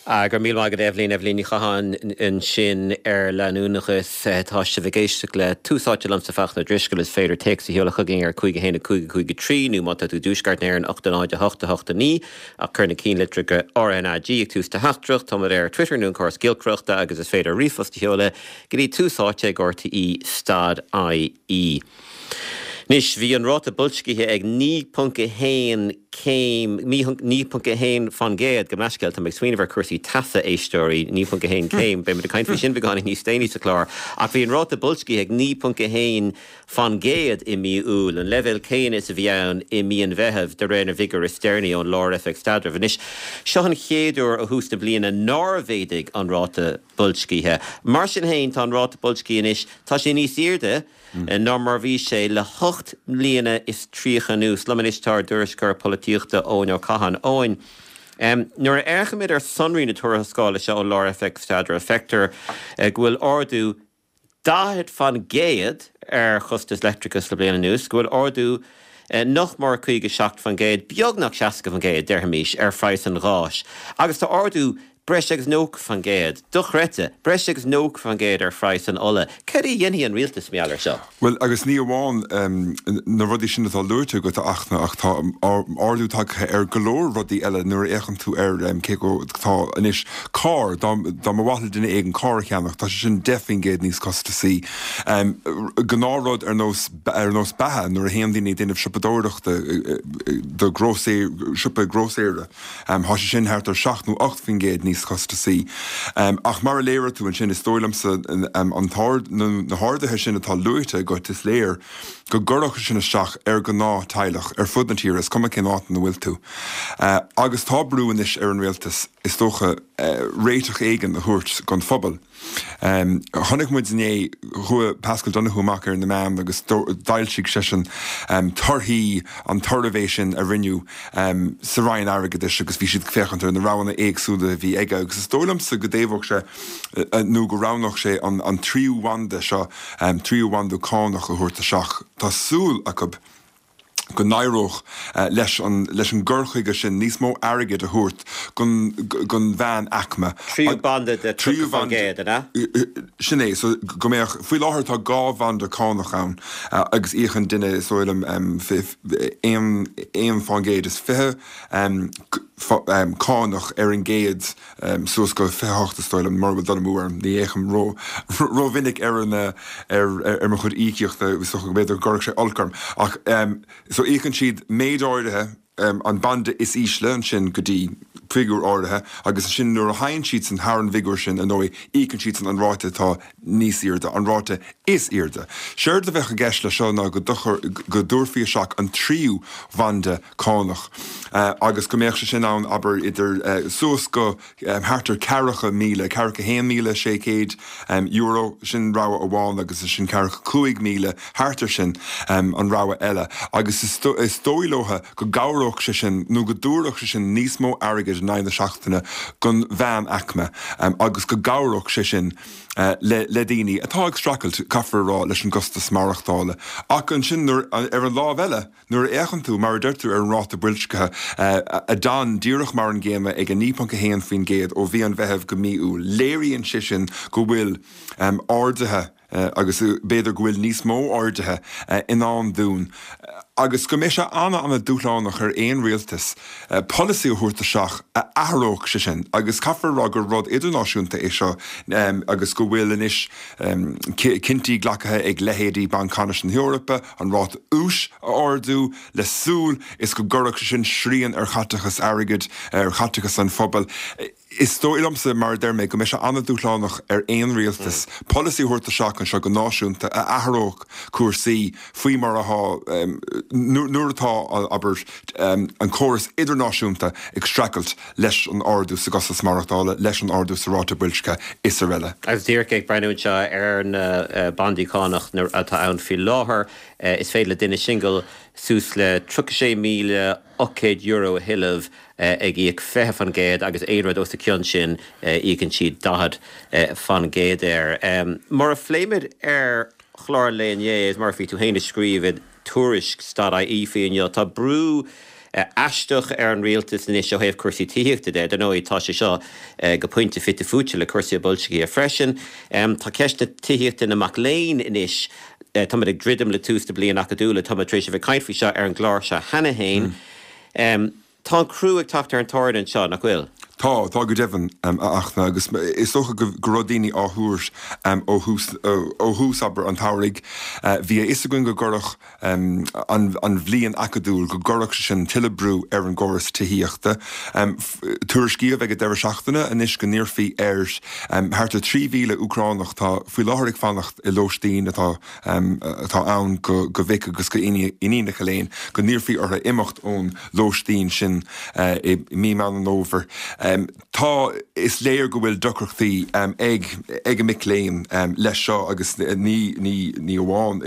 Ah, go raibh míle maith agat Eibhlín, Eibhlín Ní Chatháin ansin ar leanúnachas. Tá sibh ag éisteacht le Tús Áite liomsa Fachtna Ó Drisceoil. Is féidir téacs a sheoladh chugainn ar 5 1 5 5 3 nó má tá tú i dtuaisceart na hÉireann 8 0 8 8 9 ach cuir na cinnlitreacha RnaG ag tús do theachtaireacht. Táimid ar Twitter nó an córas giolcaireachta agus is féidir ríomhphost a sheoladh go dtí tús áite ag rte stad ie. Anois, bhí an ráta boilscithe ag 9.1 céim, 9.1 fán gcéad, gabh mo leithscéal, tá mé ag smaoineamh ar chúrsaí teasa, éisteoirí, 9.1 céim, beidh muid ag caint faoi sin beagáinín níos déanaí sa chlár, ach bhí an ráta boilscithe ag 9.1 fán gcéad i mí Iúil, an leibhéal céanna is a bhí ann i mí an Mheithimh, de réir na bhfigiúr is deireanaí ón Lár-Oifig Staidrimh. Anois, seo an chéad uair ó thús na bliana nár mhéadaigh an ráta boilscithe. Mar sin féin, tá an ráta boilscithe anois, tá sé níos airde, ná mar bhí sé le hocht mbliana is 30 anuas. Liom anois tá ár dtuairisceoir polaitíochta Eoin Ó Catháin. Eoin, nuair a fhéachaimid ar sonraí na tuarascála seo ón Lár-Oifig Staidrimh, feictear go bhfuil ardú 40 fán gcéad ar chostas leictreachais le bliain anuas, go bhfuil ardú nach mór 57 fán gcéad, beagnach 60 fán gcéad, déarfaimis, ar phraghas an gháis, agus tá ardú Breis agus 90%, dochreidte, breis agus 90% ar phraghas an ola. Cad é a dhéanfaidh an rialtas mar gheall air seo? Bhuel, agus ní amháin na rudaí sin atá luaite agat, a Fhachtna, ach tá ardú tagtha ar go leor rudaí eile nuair a fhéachann tú ar cé go tá anois carr, dá mba mhaith le duine éigin carr a cheannach, tá sé sin 10% níos costasaí. Gnáthrud ar nós ar nós beatha nuair a théann daoine ag déanamh siopadóireachta do grósaeir, siopa grósaera. Tá sé sin thart ar 7 nó 8% níos costasaí. Ach mar a léirigh tú ansin, is dóigh liomsa an t-ard, na harduithe sin atá luaite agat, is léir go gcuirfeadh sé sin isteach ar ghnáth-teaghlach ar fud na tíre, is cuma cén áit ina bhfuil tú. Agus tá brú anois ar an rialtas, is dócha, réiteach éigin a thabhairt don phobal. Chonaic muid inné, chuaigh Paschal Donohoe amach ar na meáin agus d'fhoilsigh seisean torthaí an tsuirbhé sin a rinneadh sa Roinn Airgeadais agus bhí siad ag féachaint ar na roghanna éagsúla a bhí aige agus is dóigh liomsa go dtaobhódh sé nó go roghnódh sé an tríú bhanda seo, tríú bhanda cánach a thabhairt isteach. Tá súil acu. go n-éireodh leis an leis an gcur chuige sin níos mó airgid a thabhairt don don mheánaicme. Tríú banda de 30%, an ea? Sin é. So go mbeadh, faoi láthair tá dhá bhanda cánach ann agus íocann duine is dóigh liom 21% cánach ar an gcéad suas go 28 is dóigh liom, mura bhfuil dul amú orm, ní fhéachaim ró rómhinic ar an ar ar mo chuid íocaíochta, is dócha go mb'fhéidir go gcuirfeadh sé olc orm. Ach so íocann siad méid áirithe, an banda is ísle ansin go dtí figiúr áirithe agus ansin nuair a théann siadsan thar an bhfigiúr sin, ar ndóigh, íocann siadsan an ráta atá níos airde, an ráta is airde. Séard a bheadh i gceist leis seo ná go go dtabharfaí isteach an tríú bhanda cánach agus go mbeadh sé sin ann, abair, idir suas go thart ar 40,000, €41,600, sin rogha amháin agus ansin 45,000, thart ar sin, an rogha eile. Agus is dóigh leo go gcabhródh sé sin nó go dtabharfadh sé sin níos mó airgid in aghaidh na seachtaine don mheánaicme agus go gcabhródh sé sin le daoine atá ag streachailt, caithfear a rá, leis an gcostas maireachtála. Ach ansin, ar an lámh eile, Nuair a fhéachann tú, mar a deir tú, ar an ráta boilscithe, a d'fhan díreach mar an gcéanna ag 9.1% ó mhí an Mheithimh go mí Iúil, léiríonn sé sin go bhfuil arduithe, agus b'fhéidir go bhfuil níos mó arduithe, i ndán dúinn agus go mbeidh sé an-an-dúshlánach ar aon rialtas polasaí a thabhairt isteach a athródh sé sin. Agus caithfear a rá gur rud idirnáisiúnta é seo agus go bhfuil anois cinntí glactha ag leithéidí Banc Ceannais na hEorpa, an ráta úis a ardú le súil is go gcuirfeadh sé sin srian ar chaiteachas airgid, ar chaiteachas an phobail. Is dóigh liomsa, mar a deir mé, go mbeidh sé an-dúshlánach ar aon rialtas polasaí a thabhairt isteach anseo go náisiúnta a athródh cúrsaí faoi mar atá nuair atá, abair, an córas idirnáisiúnta ag streachailt leis an ardú sa gcostas maireachtála, leis an ardú sa ráta boilscithe is araile. Agus díreach ag breathnú anseo ar na bandaí cánach atá ann faoi láthair, is féidir le duine singil suas le €36,800 a thuilleamh ag íoc 20% agus aon rud os a chionn sin íocann siad 40% air. Mar a phléigh muid ar chlár an lae inné, agus mar a bhí tú féin ag scríobh i dtuairisc stad ie faoi inniu, tá brú. aisteach ar an rialtas anois ó thaobh cúrsaí tithíochta de. Dar ndóigh, tá sé seo go pointe fite fuaite le cúrsaí boilscithe freisin. Tá ceist na tithíochta na mac léinn anois, táimid ag druidim le tús na bliana acadúla, táimid tar éis a bheith ag caint faoi seo ar an gclár seo cheana féin. Tá an crú ag teacht ar an tairne anseo, nach bhfuil? Tá, tá go deimhin, a Fhachtna, agus is dócha go raibh daoine á thuar ó thús, ó thús, abair, an tsamhraidh. Bhí a fhios againn go gcuirfeadh an bhliain acadúil, go gcuirfeadh sé sin tuilleadh brú ar an gcóras tithíochta. Tuairiscíodh ag an deireadh seachtaine anois go n-iarrfaí ar thart ar 3,000 Úcránach atá faoi láthair ag fanacht i lóistín atá atá ann go mhic agus go iníonacha léinn, go n-iarrfaí orthu imeacht ón lóistín sin i mí Meán an Fhómhair. Tá, is léir go bhfuil deacrachtaí ag ag an mic léinn leis seo agus ní ní ní amháin,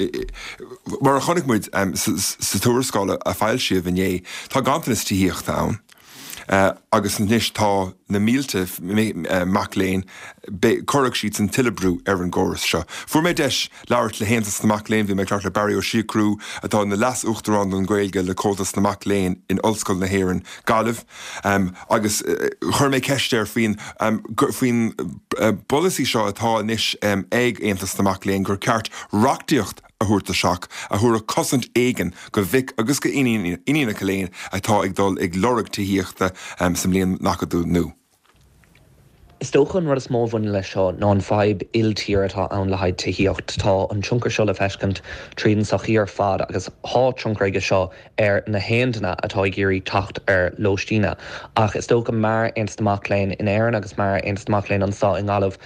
mar a chonaic muid sa tuarascáil a foilsíodh inné, tá ganntanas tithíochta ann. Agus anois tá na mílte mac léinn, cuirfidh siadsan tuilleadh brú ar an gcóras seo. Fuair mé deis labhairt le hAontas na Mac Léinn, bhí mé ag labhairt le Barry Ó Siochrú, atá ina Leas-Uachtarán don Ghaeilge le Comhaltas na Mac Léinn in Ollscoil na hÉireann, Gaillimh, agus chuir mé ceist air faoin faoin bpolasaí seo atá anois ag Aontas na Mac Léinn gur ceart reachtaíocht a thabhairt isteach a thabharfadh cosaint éigin go mhic agus go iníonacha léinn atá ag dul ag lorg tithíochta sa mbliain acadúil nua. Is dócha an rud is mó a bhaineann leis seo ná an fadhb il-tíre atá ann le haghaidh tithíocht. Tá an tionchar seo le feiscint tríd an sochaí ar fad agus tá tionchar aige seo ar na haon duine atá ag iarraidh teacht ar lóistíne. Ach is dócha mar Aontas na Mac Léinn in Éirinn agus mar Aontas na Mac Léinn anseo i nGaillimh,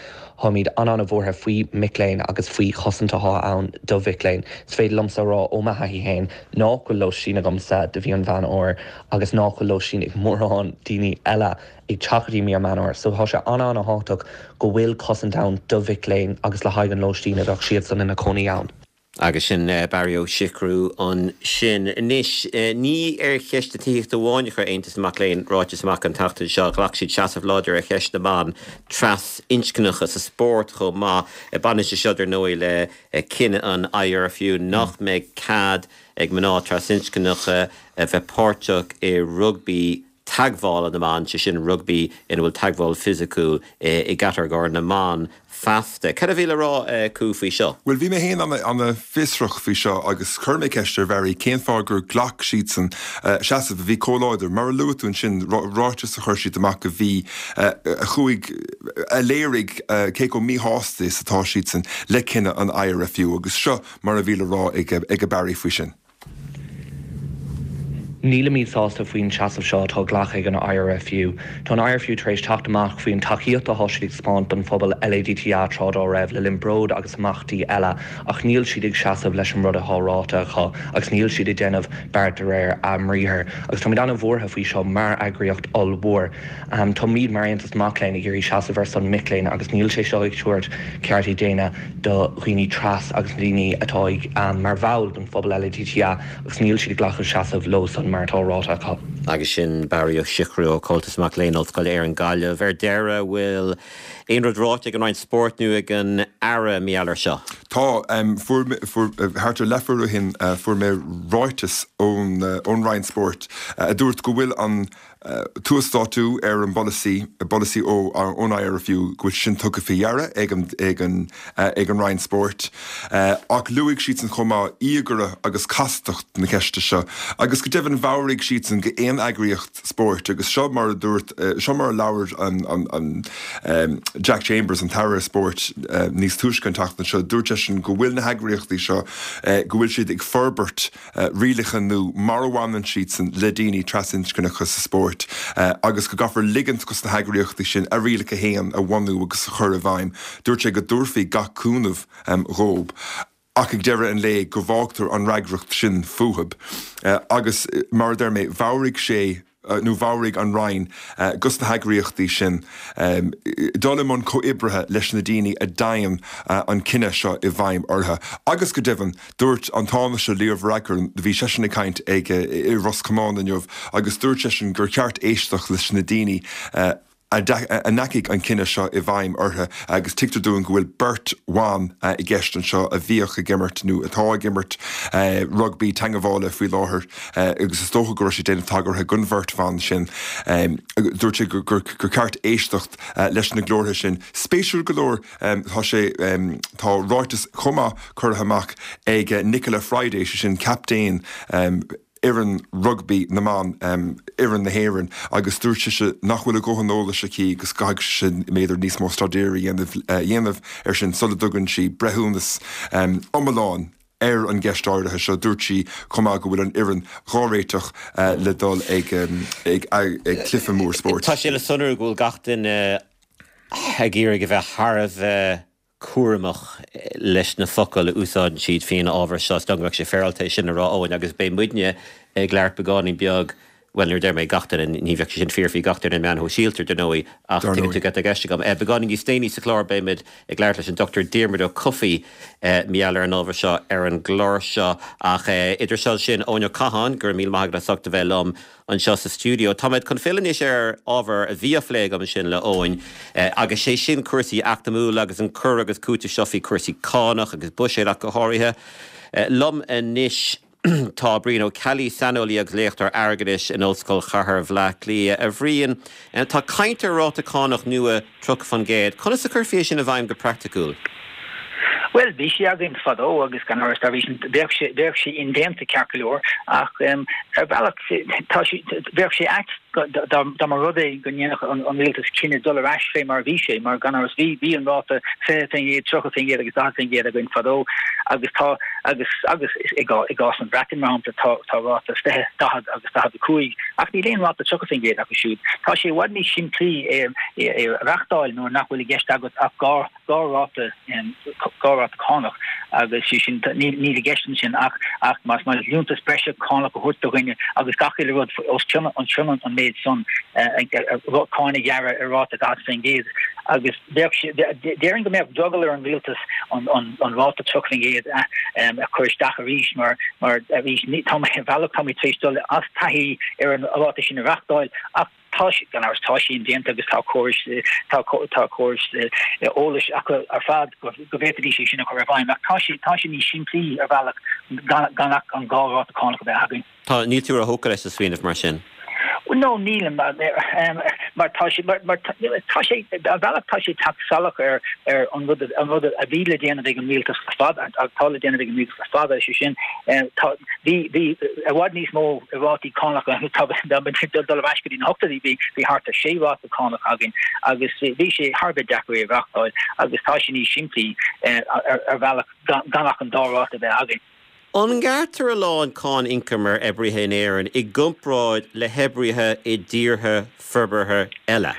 táimid an-an-bhuartha faoi mic léinn agus faoi chosaint atá ann do mhic léinn. Is féidir liomsa a rá ó mo thaithí féin nách bhfuil lóistín agamsa do mhí an Mheán Fhómhair agus nách bhfuil lóistín ag mórán daoine eile ag teacht go dtí mí an Mheán Fhómhair. So tá sé an-an-thábhachtach go bhfuil cosaint ann do mhic léinn agus le haghaidh an lóistín a bheadh siadsan ina cónaí ann. Agus sin Barry Ó Siochrú ansin. Anois, ní ar cheist na tithíochta amháin a chuir Aontas na Mac Léinn ráiteas amach an tseachtain seo. Ghlac siad seasamh láidir ar cheist na mban trasinscneacha sa spórt chomh maith. Baineann sé seo, dar ndóigh, le cinneadh an IRFU nach mbeidh cead ag mná trasinscneacha a bheith páirteach i rugbaí teagmhála na mban, sé sin rugbaí ina bhfuil teagmháil fisiciúil i gcatagóir na mban feasta. Cad a bhí le rá acu faoi seo? Bhuel, bhí mé féin ana-fhiosrach faoi seo agus chuir mé ceist ar Bharry cén fáth gur ghlac siadsan seasamh a bhí chomh láidir. Mar a luaigh tú ansin, ráiteas a chuir siad amach a bhí, a chuaigh, a léirigh cé chomh míshásta is atá siadsan le cinneadh an IRFU agus seo mar a bhí le rá ag Barry faoi sin. Nílimid sásta faoin seasamh seo atá glactha ag an IRFU. Tá an IRFU tar éis teacht amach faoin tacaíocht atá siad ag spáint don phobal LADTA tráth dá raibh, le linn Bród agus imeachtaí eile, ach níl siad ag seasamh leis an rud atá ráite acu agus níl siad ag déanamh beart de réir a mbriathair. Agus táimid an-bhuartha faoi seo mar eagraíocht ollmhór. Táimid mar Aontas na Mac Léinn ag iarraidh seasamh ar son mic léinn agus níl sé seo ag tabhairt ceartaí daonna do dhaoine tras agus na daoine atá ag mar bhall den phobal LADTA agus níl siad ag glacadh seasamh leo san mar atá ráite acu. Agus sin Barry Ó Siochrú ó Chomhaltas Mac Léinn Ollscoil Éireann Gaillimh. Ar deireadh, bhfuil aon rud ráite ag an Roinn Spóirt nó ag an Aire mar gheall air seo? Tá. Fuair, fuair, thart ar leathuair ó shin fuair mé ráiteas ón, ón Roinn Spóirt a dúirt go bhfuil an, t-uasdátú ar an bpolasaí, polasaí ón IRFU, go bhfuil sé sin tugtha faoi deara ag an, ag an, ag an Roinn Spóirt. Ach luaigh siadsan chomh maith íogaire agus castacht na ceiste seo. Agus go deimhin mheabhraigh siadsan go aon eagraíocht spóirt, agus seo mar a dúirt, seo mar a labhair an, an, an Jack Chambers, an tAire Spóirt, níos túisce an tseachtain seo, dúirt seisean go bhfuil na heagraíochtaí seo, go bhfuil siad ag forbairt, rialacha nua mar a bhaineann siadsan le daoine trasinscneacha sa spórt agus go gcaithfear ligint dos na heagraíochtaí sin a rialacha féin a bhunú agus a chur i bhfeidhm. Dúirt sé go dtabharfaí gach cúnamh dhób ach ag deireadh an lae go bhfágtar an fhreagracht sin fúthub. Agus mar a deir mé, mheabhraigh sé, nó mheabhraigh an Roinn dos na heagraíochtaí sin dul i mbun comhoibrithe leis na daoine a dtéann an cinneadh seo i bhfeidhm orthu. Agus go deimhin, dúirt an Tánaiste Leo Varadkar, bhí seisean ag caint ag i Ros Comáin inniu, agus dúirt seisean gur cheart éisteacht leis na daoine a. A ndeachaigh an cinneadh seo i bhfeidhm orthu agus tuigtear dúinn go bhfuil beirt bhan i gceist anseo a bhíodh ag imirt nó atá ag imirt rugbaí teangabhála faoi láthair agus is dócha go raibh sé ag déanamh tagartha don bheirt bhan sin. Dúirt sé gur ceart éisteacht leis na glórtha sin. Spéisiúil go leor tá sé tá ráiteas chomh maith curtha amach ag Nichola Fryday, sé sin captaen fhoireann rugbaí na mban, fhoireann na hÉireann, agus dúirt sise nach bhfuil a dhóthain eolais aici agus go gcaithfidh sise b'fhéidir níos mó staidéir a dhéanamh air sin sula dtugann sí breithiúnas iomlán ar an gceist áirithe seo. Dúirt sí chomh maith go bhfuil an fhoireann dhá réiteach le dul ag cluiche mór spóirt. Tá sé le sonrú go bhfuil gach duine ag iarraidh a bheith thar a bheith cúramach leis na focail a úsáideann siad faoin ábhar seo. Is dóigh go mbeadh sé féaráilte é sin a rá, Eoin, agus beidh muidne ag labhairt beagáinín beag, bhuel, nuair a deir mé gach duine, ní bheadh sé sin fíor faoi gach duine ar na meáin shóisialta, dar ndóigh, ach tuigeann tú cad tá i gceist agam. Beagáinín níos déanaí sa chlár beimid ag labhairt leis an Dr Diarmuid Ó Cofaigh mar gheall ar an ábhar seo ar an gclár seo. Ach idir seo sin, Eoin Ó Catháin, go raibh míle maith agat as ucht a bheith liom. anseo sa stiúideo. Táimid chun filleadh anois ar ábhar a bhí á phlé agam ansin le Eoin, agus sé sin cúrsaí eacnamúla agus an cur agus cúiteamh seo faoi chúrsaí cánach agus buiséid ach go háirithe. Liom anois tá Brian Ó Ceallaigh, saineolaí agus léachtóir airgeadais in Ollscoil Chathair Bhaile Átha Cliath. A Bhriain, tá caint ar ráta cánach nua 30%. Conas a chuirfí é sin i bhfeidhm go praiticiúil? Bhuel, bhí sé againn fadó agus gan amhras dá bhrí sin bheadh sé, bheadh sé indéanta ceart go leor ach ar bhealach tá sé, bheadh sé ait dá, dá mba rud é go ndéanfadh an, an rialtas cinneadh dul ar ais fé mar a bhí sé mar gan amhras bhí, bhí an ráta 20%, 30% agus 40% againn fadó agus tá, agus, agus i gcás an Bhreatain mar shampla tá, tá ráta 20, 40 agus 45 ach níl aon ráta 30% acu siúd. Tá sé i bhfad níos simplí é, é a reachtáil nuair nach bhfuil i gceist agat ach dhá, ráta dhá ráta cánach agus sé sin níl i gceist ansin ach ach más maith leat liúntas breise cánach a thabhairt do dhuine agus gach uile rud os cionn an cionn an méid san cáin a ghearradh ar ráta 40% agus bheadh sé déarfainn go mbeadh drogall ar an rialtas an an an ráta 30% a chur isteach arís mar mar arís tá mé ar bhealach tá mé tar éis dul as taithí ar an ráta sin a reachtáil ach Tá sé, gan amhras, tá sé indéanta agus tá córais, tá, tá córais eolais acu ar fad go, go bhféadfaidís é sin a chur i bhfeidhm ach tá sé, tá sé níos simplí ar bhealach gan, gan ach an dhá ráta cánach a bheith againn. Tá, níl tú róthógtha leis an smaoineamh mar sin? No, nílim, mar tá sé, mar, mar tá sé, ar bhealach tá sé ag teacht salach ar, ar an rud, an rud a bhí le déanamh ag an rialtas le fada, atá le déanamh ag an rialtas le fada, sé sin, tá, bhí, bhí i bhfad níos mó rátaí cánach dul ar ais go dtí na hochtóidí bhí bhí thart ar sé ráta cánach againn agus bhí sé thar a bheith deacair é a reachtáil agus tá sé níos simplí ar bhealach gan ach an dá ráta a bheith againn. An ngearrtar a lán cáin ioncaim ar oibrithe in Éirinn i gcomparáid le hoibrithe i dtíortha forbartha eile?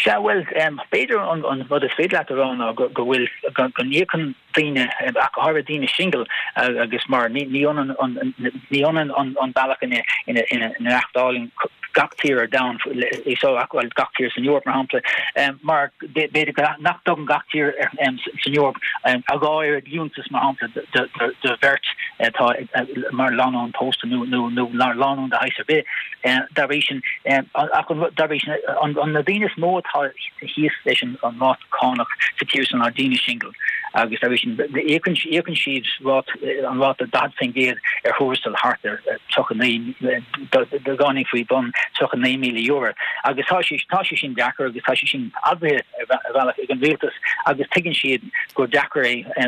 Sea, bhuel, b'fhéidir an rud is féidir leat a rá ná go bhfuil, go n-íocann daoine, ach go háirithe daoine singil, agus mar ní ionann ní ionann an bealach ina ina reachtálann gach tír ar domhan so bhuel gach tír san Eoraip mar shampla, mar b'fhéidir nach dtugann gach tír san Eoraip a dhá oiread liúntas mar shampla do bheirt atá mar lánúin pósta nó nó lánúin de shaghas ar bith. Dá bhrí sin, ach dá bhrí sin, na daoine is mó atá thíos leis an ráta cánach sa tír seo ná daoine singil agus dá bhrí sin íocann íocann siad rát an ráta 40% ar thuarastal thart ar 39 beagáinín faoi bhun €39,000 agus tá sé tá sé sin deacair agus tá sé sin admhaithe ar bhealach ag an rialtas agus tuigeann siad gur deacair é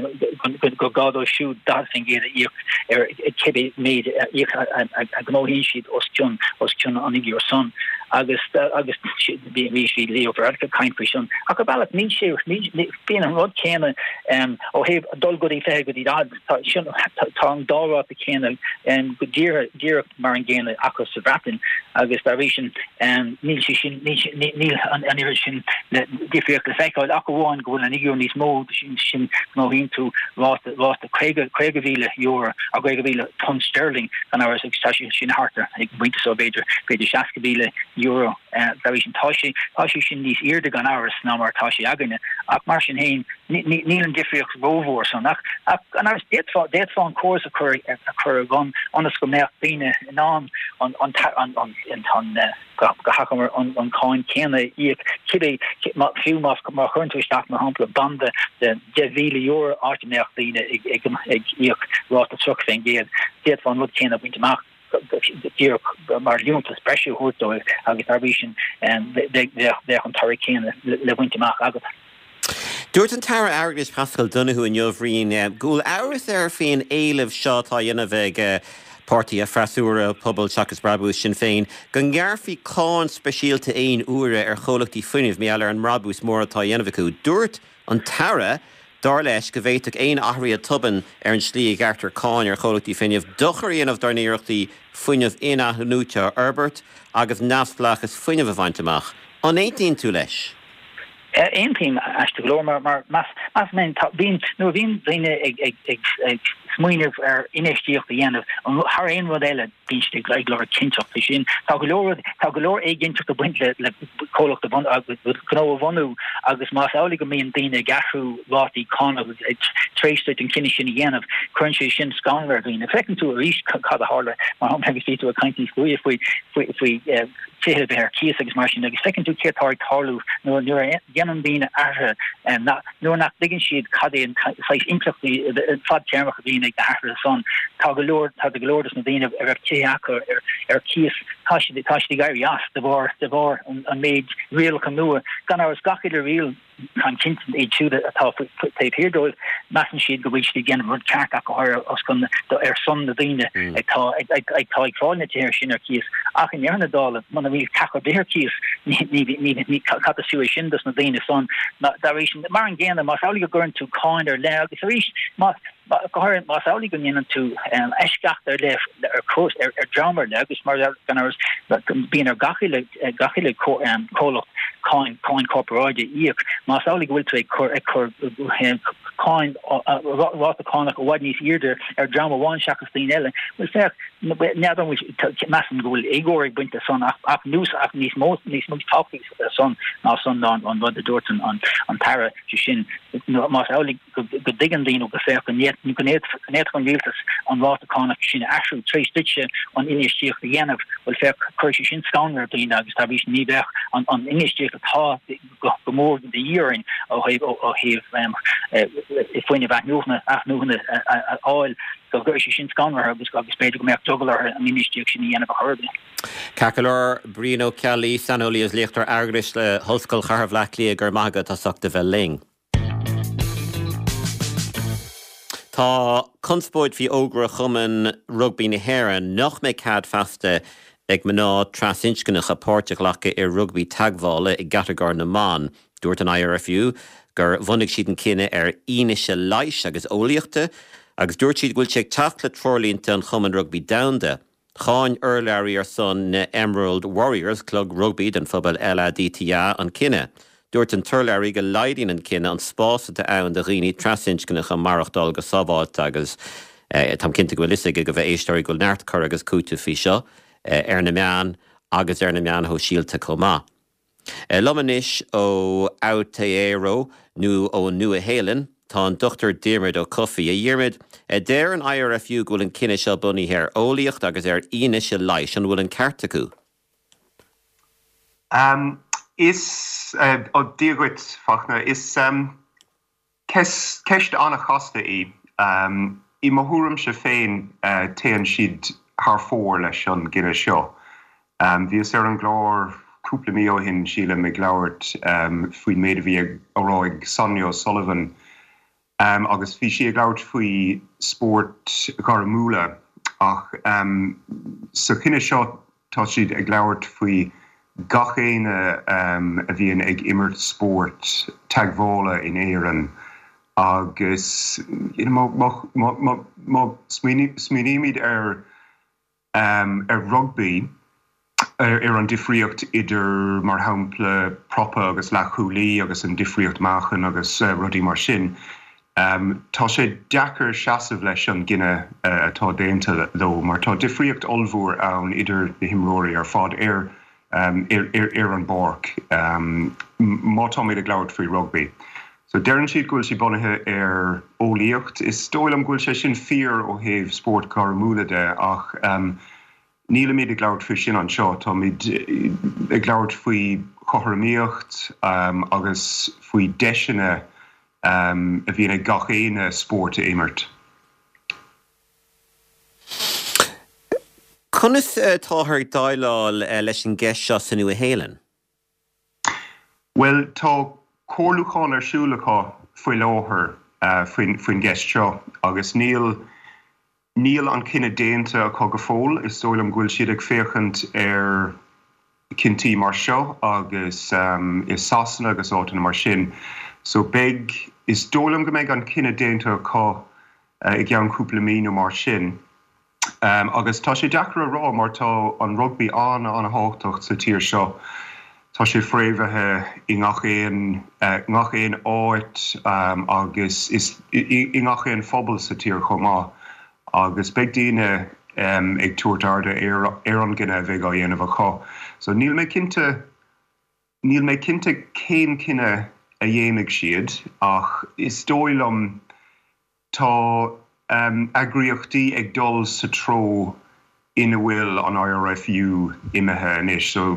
gur gá dóibh siúd 40% a íoc ar cibé méid a a ghnóthaíonn siad os cionn os cionn an fhigiúr san agus agus bhí bhí sí Leo Varadkar ag caint faoi sin. Ach ar bhealach níl sé bíonn an rud céanna ó thaobh dul go dtí 20 go dtí 40 tá sin tá an dá ráta céanna go díreach díreach mar an gcéanna acu sa Bhreatain agus dá bhrí sin níl sé sin níl an oiread sin le difríocht le feiceáil ach amháin go bhfuil an fhigiúr níos mó sin sin gnóthaíonn tú ráta ráta €50,000 nó £50,000 sterling gan amhras agus tá sé sin thart ar ag an bpointe seo b'fhéidir b'fhéidir €60,000. Dá bhrí sin, tá sé, tá sé sin níos airde gan amhras ná mar atá sé againne, ach mar sin féin, níl an difríocht rómhór san. Ach, ach gan amhras, d'fhéadfá, d'fhéadfá an córas a chur, a chur ar bun ionas go mbeadh daoine in ann an, an, an, an, an, go hachomair an, an cáin céanna a íoc, cibé, fiú má, má chuireann tú isteach, mar shampla, banda de €10,000 áit a mbeadh daoine ag, ag, ag íoc ráta 30%, d'fhéadfá an rud céanna a bhaint amach. díreach mar liúntas breise a thabhairt dóibh agus dá bhrí sin bheadh an toradh céanna le baint amach agat. Dúirt an tAire Airgeadais Paschal Donohoe inniu, a Bhriain, go bhfuil amhras air faoin éileamh seo atá á dhéanamh ag páirtithe freasúra, Pobal Seachas Brabús, Sinn Féin, go ngearrfaí cáin speisialta aon uaire ar chomhlachtaí fuinnimh mar gheall ar an mbrabús mór atá á dhéanamh acu. Dúirt an tAire Dar leis go bhféadfadh aon athruithe tobann ar an tslí a ghearrtar cáin ar chomhlachtaí fuinnimh dochar a dhéanamh dár n-iarrachtaí fuinneamh in-athnuaite a fhorbairt agus neamhspleáchas fuinnimh a bhaint amach. An aontaíonn tú leis? Aontaím, aisteach go leor, mar mar measaim féin, tá, bíonn, nuair a bhíonn daoine ag ag ag ag smaoineamh ar infheistíocht a dhéanamh, thar aon rud eile, bíonn siad ag lorg cinnteacht. Sé sin, tá go leor rud, tá go leor éiginnteacht ag baint le le comhlacht a bhun, agus gnó a bhunú agus más amhlaidh go mbíonn daoine ag athrú rátaí cánach tar éis duit an cinneadh sin a dhéanamh, cuireann sé sin scanradh ar dhaoine. Feiceann tú arís cad a tharla, mar shampla, agus bhí tú ag caint níos luaithe faoi faoi faoi tithe a bheith ar cíos agus mar sin agus feiceann tú céard atá ag tarlú nuair nuair a dhéanann daoine athruithe nuair nach dtuigeann siad cad é an saghas impleachtaí fadtéarmach a bhíonn ag na hathruithe san. Tá go leor, tá go leor dos na daoine a raibh tithe acu ar ar cíos, tá siad, tá siad ag éirí as de bharr, de bharr an an méid rialacha nua. Gan amhras, gach uile riail, táim cinnte, iad siúd atá taobh thiar dóibh, measann siad go bhfuil siad ag déanamh rud ceart ach go háirithe os cionn, ar son na daoine atá ag, ag, atá ag fáil na tithe sin ar cíos. Ach i ndeireadh na dála, muna bhfuil teach ar bith ar cíos, ní, ní, ní, ní, cad is fiú é sin dos na daoine san? Dá bhrí sin, mar an gcéanna, más amhlaidh go gcuireann tú cáin ar leith, agus arís, má, go háirithe más amhlaidh go ndéanann tú eisceacht ar leith ar chúis, ar dhream ar leith, agus mar gan amhras, bíonn ar gach uile, gach uile comhlacht cáin, cáin corparáide a íoc, más amhlaidh go bhfuil tú ag cur, ag cur cáin, ráta cánach i bhfad níos airde ar dhream amháin seachas daoine eile, bhuel féach, n'fheadar an bhfuil, measaim go bhfuil éagóir ag baint le san ach, ach níos, ach níos mó, níos mó tábhachtaí san ná san ná an rud a dúirt an tAire, sé sin, más amhlaidh go dtuigeann daoine go féach go bhféadfadh an rialtas an ráta cánach sin a athrú tar éis duitse an infheistíocht a dhéanamh, bhuel féach, cuirfidh sé sin scanradh ar dhaoine agus dá bhrí sin ní bheadh an infheistíocht atá go mór de dhíth orainn ó thaobh fuinneamh athnuachana a fháil, go gcuirfidh sé sin scanradh orthu agus b'fhéidir go mbeadh drogall orthu an infheistíocht sin a dhéanamh ar chor ar bith. Ceart go leor, Brian Ó Ceallaigh, saineolaí agus léachtóir airgeadais le hOllscoil Chathair Bhaile Átha Cliath, go raibh maith agat as ucht a bheith linn. Tá conspóid faoi fhógra Chumann Rugbaí na hÉireann nach mbeidh cead feasta ag mná trasinscneacha páirt a ghlacadh i rugbaí teagmhála i gcatagóir na mban. Dúirt an IRFU gur bhunaigh siad an cinneadh ar fhianaise leighis agus eolaíochta agus dúirt siad go bhfuil sé ag teacht le treoirlínte an Chumainn Rugbaí Domhanda. Cháin urlabhraí ar son na Emerald Warriors, club rugbaí don phobal LADTA, an cinneadh. Dúirt an t-urlabhraí go laghdaíonn an cinneadh an spás atá ann do dhaoine trasinscneacha maireachtáil go sábháilte agus táim cinnte go bhfuil fhios ag a bhfuil éisteoirí go bhfuil neart cur agus cúiteamh faoi seo ar na meáin agus ar na meáin shóisialta chomh maith. Liom anois ó Aotearoa nó ón Nua-Shéalainn tá an Dr Diarmuid Ó Cofaigh. A Dhiarmuid, deir an IRFU go bhfuil an cinneadh seo bunaithe ar eolaíocht agus ar fhianaise leighis. An bhfuil an ceart acu? Is, Dia dhuit, Fachtna. Is Ceist an-chasta í. I mo thuairimse féin, téann siad thar fóir leis an gcinneadh seo. Bhíos ar an gclár cúpla mí ó shin, sílim, ag labhairt faoin méid a bhí á rá ag Sonia O'Sullivan agus bhí sí ag labhairt faoi spóirt ghairmiúla ach sa chinneadh seo Tá siad ag labhairt faoi gach éinne a bhíonn ag imirt spóirt teagmhála in Éirinn agus má smaoinímid ar ar rugbaí, ar an difríocht idir, mar shampla, prapa agus leathchúlaí agus an difríocht meáchain agus rudaí mar sin, Tá sé deacair seasamh leis an gcinneadh atá déanta leo mar tá difríocht ollmhór ann idir na himreoirí ar fad ar. ar an bpáirc má táimid ag labhairt faoi rugbaí. So deireann siad go bhfuil sé bunaithe ar eolaíocht. Is dóigh liom go bhfuil sé sin fíor ó thaobh spóirt ghairmiúla de ach nílimid ag labhairt faoi sin anseo. Táimid ag labhairt faoi chothromaíocht agus faoi deiseanna a bhíonn ag gach éinne spórt a imirt. Conas atáthar ag déileáil leis an gceist seo sa Nua-Shéalainn? Bhuel, tá comhairliúchán ar siúl acu faoi láthair faoin gceist seo agus níl níl an cinneadh déanta acu go fóill. Is dóigh liom go bhfuil siad ag féachaint ar cinntí mar seo agus i Sasana agus áiteanna mar sin. So beidh, is dóigh liom go mbeidh an cinneadh déanta acu i gceann cúpla mí nó mar sin. Agus tá sé deacair a rá mar tá an rugbaí an-an-thábhachtach sa tír seo. Tá sé fréamhaithe i ngach aon ngach aon áit agus is i ngach aon phobal sa tír chomh maith. Agus beidh daoine ag tabhairt airde ar ar an gcinneadh a bheidh á dhéanamh acu. So níl mé cinnte níl mé cinnte cén cinneadh a dhéanfaidh siad ach is dóigh liom Tá eagraíochtaí ag dul sa treo ina bhfuil an IRFU imithe anois so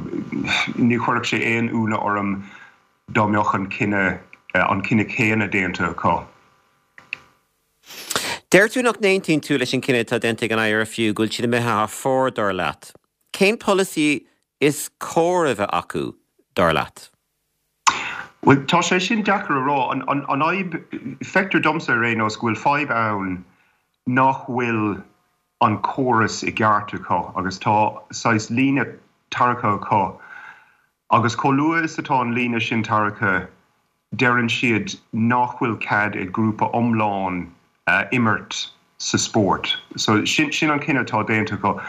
ní chuirfeadh sé aon ionadh orm dá mbeadh an cinneadh an cinneadh céanna déanta acu. Deir tú nach n-aontaíonn tú leis an gcinneadh atá déanta ag an IRFU, go bhfuil siad imithe thar fóir, dar leat. Cén polasaí is cóir a bheith acu, dar leat? Bhuel, tá sé sin deacair a rá. An fhadhb, feictear domsa ar aon nós, go bhfuil fadhb ann nach bhfuil an córas i gceart acu agus tá saghas líne tarraicthe acu agus chomh luath is atá an líne sin tarraicthe deireann siad nach bhfuil cead ag grúpa iomlán imirt sa spórt. So sin sin an cinneadh atá déanta acu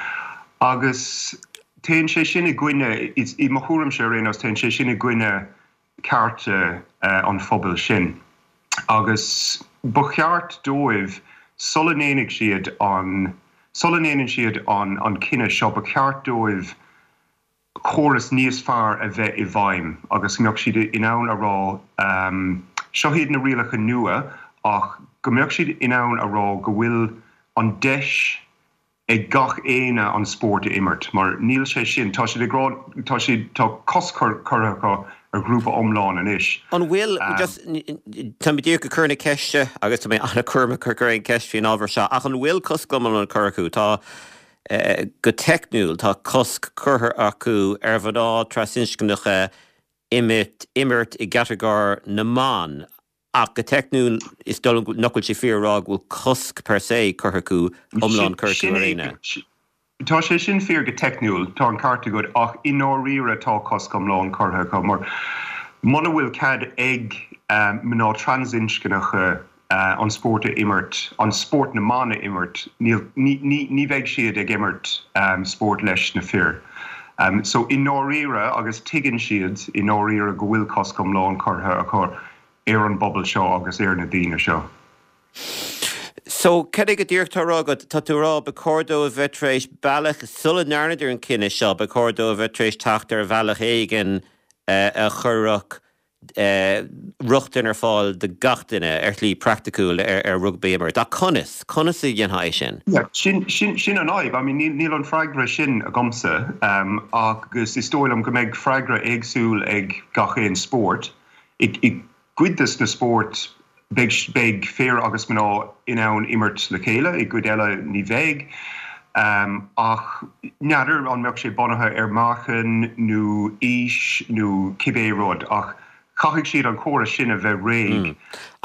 agus téann sé sin i gcoinne, i mo thuairimse ar aon nós, téann sé sin i gcoinne cearta an phobail sin. Agus ba cheart dóibh sula ndéanfaidh siad an, sula ndéanann siad an an cinneadh seo, ba cheart dóibh córas níos fearr a bheith i bhfeidhm agus go mbeadh siad in ann a rá seo iad na rialacha nua ach go mbeadh siad in ann a rá go bhfuil an deis ag gach éinne an spórt a imirt mar níl sé sin, tá siad ag rá, tá siad, tá cosc curtha acu ar ghrúpa iomlán anois. An bhfuil, just, tá mé díreach ag cur na ceiste agus tá mé an-chúramach ag cur aon cheist faoin ábhar seo ach an bhfuil cosc iomlán curtha acu? Tá. Go teicniúil, tá cosc curtha acu ar mhná trasinscneacha imirt i gcatagóir na mban, ach go teicniúil, is dóigh liom nach bhfuil sé fíor a rá go bhfuil cosc per se curtha acu, iomlán curtha acu ar éinne. Tá sé sin fíor go teicniúil, tá an ceart agat, ach i ndáiríre tá cosc iomlán curtha acu, mar muna bhfuil cead ag mná trasinscneacha an spórt a imirt, an spórt na mban a imirt, níl, ní, ní, ní bheidh siad ag imirt spórt leis na fir. So i ndáiríre, agus tuigeann siad i ndáiríre go bhfuil cosc iomlán curtha acu ar an bpobal seo agus ar na daoine seo. So, cad é go díreach atá á rá agat? Tá tú ag rá, ba chóir dóibh a bheith tar éis bealach, sula ndearnadar an cinneadh seo, ba chóir dóibh a bheith tar éis teacht ar bhealach éigin a chuirfeadh rochtain ar fáil do gach duine ar shlí praiticiúil ar rugbaí a imirt. Ach conas? Conas a dhéanfá é sin? Yeah, sin, sin, sin an fhadhb. I mean, níl, níl an freagra sin agamsa agus is dóigh liom go mbeidh freagra éagsúil ag gach aon spórt. I, i gcuid des na spóirt beidh, beidh fir agus mná in ann imirt le chéile, i gcuid eile ní bheidh. Ach n'fheadar an mbeadh sé bunaithe ar meáchan nó aois nó cibé rud ach caithfidh siad an córas sin a bheith réidh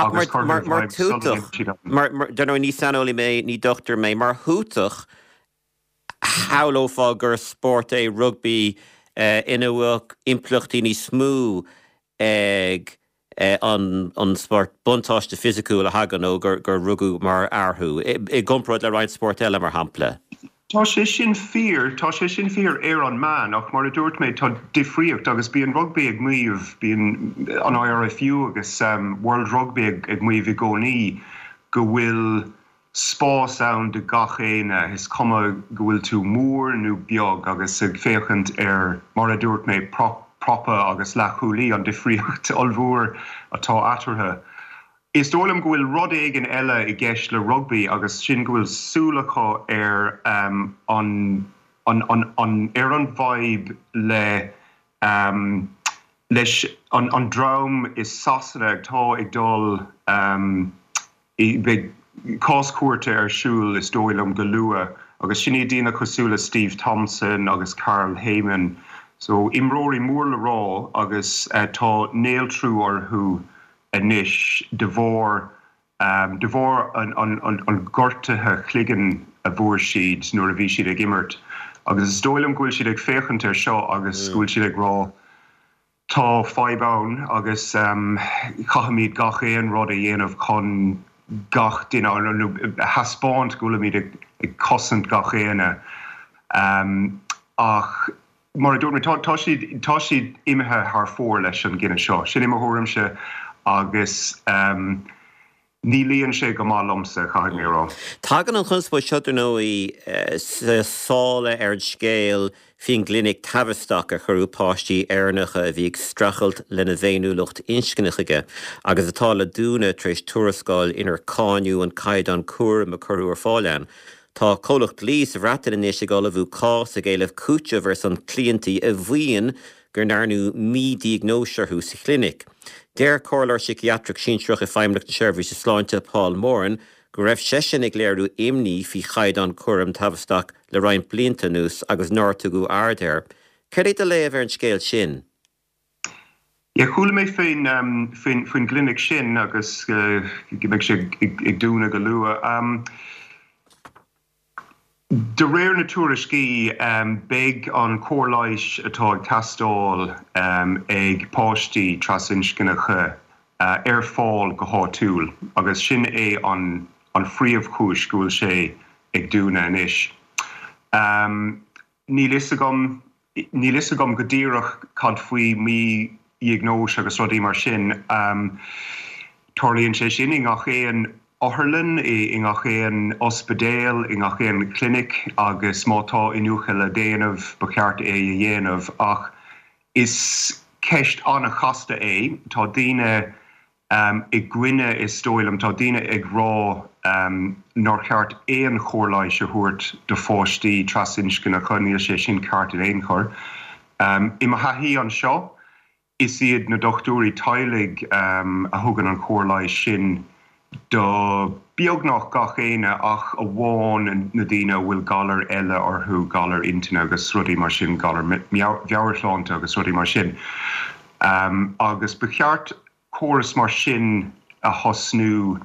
agus curtha i bhfeidhm sula ndéanfaidh siad an. Mar, dar ndóigh, ní saineolaí mé, ní dochtúir mé, mar thuatach, shamhlófá gur spórt é rugbaí ina bhfuil impleachtaí níos mó ag an spórt buntáiste fisiciúil a thagann ó gur rugadh mar fhear thú, i gcomparáid le roinnt spórt eile, mar shampla. Tá sé sin fíor, tá sé sin fíor ar an meán, ach mar a dúirt mé, tá difríocht agus bíonn rugbaí ag maíomh, bíonn an IRFU agus World Rugby ag maíomh i gcónaí go bhfuil. spás ann do gach éinne, is cuma go bhfuil tú mór nó beag agus ag féachaint ar, mar a dúirt mé, prapa agus leathchúlaí, an difríocht ollmhór atá eatarthu. Is dóigh liom go bhfuil rud éigin eile i gceist le rugbaí agus sin go bhfuil súil acu ar an an an ar an bhfadhb le leis an an dream i Sasana atá ag dul Beidh cás cúirte ar siúl, is dóigh liom, go luath agus sin iad daoine cosúil le Steve Thompson agus Carl Hayman. So, imreoirí mór le rá agus tá néaltrú orthu anois de bharr de bharr an ghortaithe chloigeann a bhfuair siad nuair a bhí siad ag imirt. Agus is dóigh liom go bhfuil siad ag féachaint ar seo agus go bhfuil siad ag rá, Tá fadhb ann agus caithfimid gach aon rud a dhéanamh chun gach duine, nó a thaispeáint go bhfuilimid ag cosaint gach éinne. Ach mar a dúirt mé, tá siad, tá siad imithe thar fóir leis an gcinneadh seo. Sin é mo thuairimse agus. Ní luíonn sé go maith liomsa, caithfidh mé a rá. Tagann an chonspóid seo, dar ndóigh, sa sála ar an scéal faoin gclinic Tavistock ar cuireadh páistí Éireannacha a bhí ag streachailt lena bhféiniúlacht inscne chuige agus atá le dúnadh tar éis tuarascáil inar cáineadh an caighdeán cúraim a cuireadh ar fáil ann. Tá comhlacht dlí sa Bhreatain anois ag ullmhú cás ag éileamh cúiteamh ar son cliantí a mhaíonn go ndearnadh mídhiagnóis orthu sa chlinic. Deir Comhairleoir Síciatrach Sinsearach i Feidhmeannacht na Seirbhíse Sláinte, Paul Moran, go raibh seisean ag léiriú imní faoi chaighdeán cúraim Tavistock le roinnt blianta anuas agus nár tugadh aird air. Céard é do léamh ar an scéal sin? Yeah, chuala mé faoin faoin gclinic sin agus go mbeidh sé ag dúnadh go luath. De réir na tuairiscí, beidh an chóir leighis atá ag teastáil ag páistí trasinscneacha ar fáil go háitiúil agus sin é an phríomhchúis go bhfuil sé ag dúnadh anois. Níl fhios agam, níl fhios agam go díreach cad faoi mhídhiagnóis agus rudaí mar sin. Tarlaíonn sé sin i ngach aon otharlann, i ngach aon ospidéal, i ngach aon chlinic agus má tá iniúchadh le déanamh, ba cheart é a dhéanamh. Ach is ceist an-chasta é. Tá daoine i gcoinne, is dóigh liom. Tá daoine ag rá nár cheart aon chóir leighis a thabhairt do pháistí trasinscneacha, níl sé sin ceart in aon chor. I mo thaithí anseo, is iad na dochtúirí teaghlaigh a thugann an chóir leighis sin do beagnach gach éinne ach amháin na daoine a bhfuil galair eile orthu, galair intinne agus rudaí mar sin, galair mheabhairshláinte agus rudaí mar sin. Agus ba cheart córas mar sin a thosnú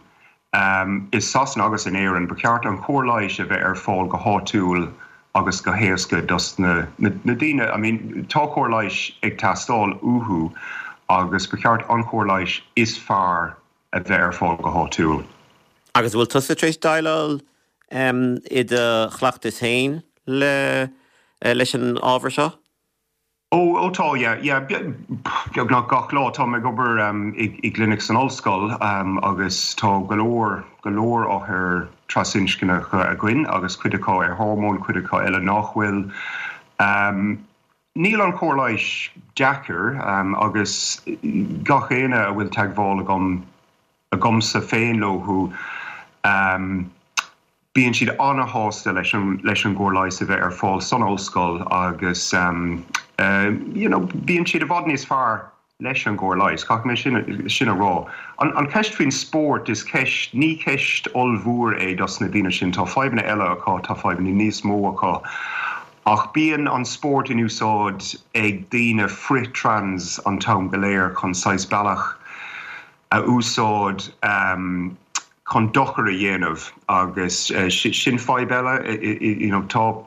i Sasana agus in Éirinn. Ba cheart an chóir leighis a bheith ar fáil go háitiúil agus go héasca dos na daoine, I mean tá cóir leighis ag teastáil uathu agus ba cheart an chóir leighis is fearr a bheith ar fáil go háitiúil. Agus an bhfuil tusa tar éis déileáil i do chleachtas féin leis an ábhar seo? Ó, ó tá, yeah, yeah, beagnach gach lá. Táim ag obair i gclinic san ollscoil agus tá go leor, go leor othair trasinscneacha againn agus cuid acu ar hormóin, cuid acu eile nach bhfuil. Níl an chóir leighis deacair agus gach éinne a bhfuil teagmháil agam, agamsa féin leo, Bíonn siad an-shásta leis an leis an gcóir leighis a bheith ar fáil san ollscoil agus you know bíonn siad i bhfad níos fearr leis an gcóir leighis, caithfidh mé sin sin a rá. An an cheist faoin spórt, is ceist, ní ceist ollmhór é dos na daoine sin, tá fadhbanna eile acu, tá fadhbanna níos mó acu ach bíonn an spórt in úsáid ag daoine frith-trans an t-am go léir chun saghas bealach a úsáid chun dochar a dhéanamh agus sin fadhb eile. You know tá,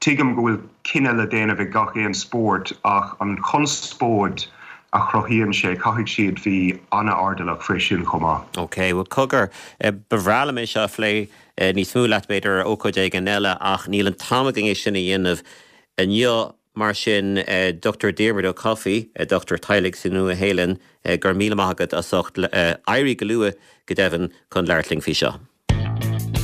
tuigim go bhfuil cinneadh le déanamh ag gach aon spórt ach an chonspóid a chruthaíonn sé, caithfidh siad bheith an-airdeallach faoi sin chomh maith. Ok, bhuel cogar, ba bhreá liom é seo a phlé níos mó leat b'fhéidir ar ócáid éigin eile ach níl an t-am againn é sin a dhéanamh inniu. Mar sin, Dr Diarmuid Ó Cofaigh, dochtúir teaghlaigh sa Nua-Shéalainn, go raibh míle maith agat as ucht éirí go luath, go deimhin, chun labhairt linn faoi seo.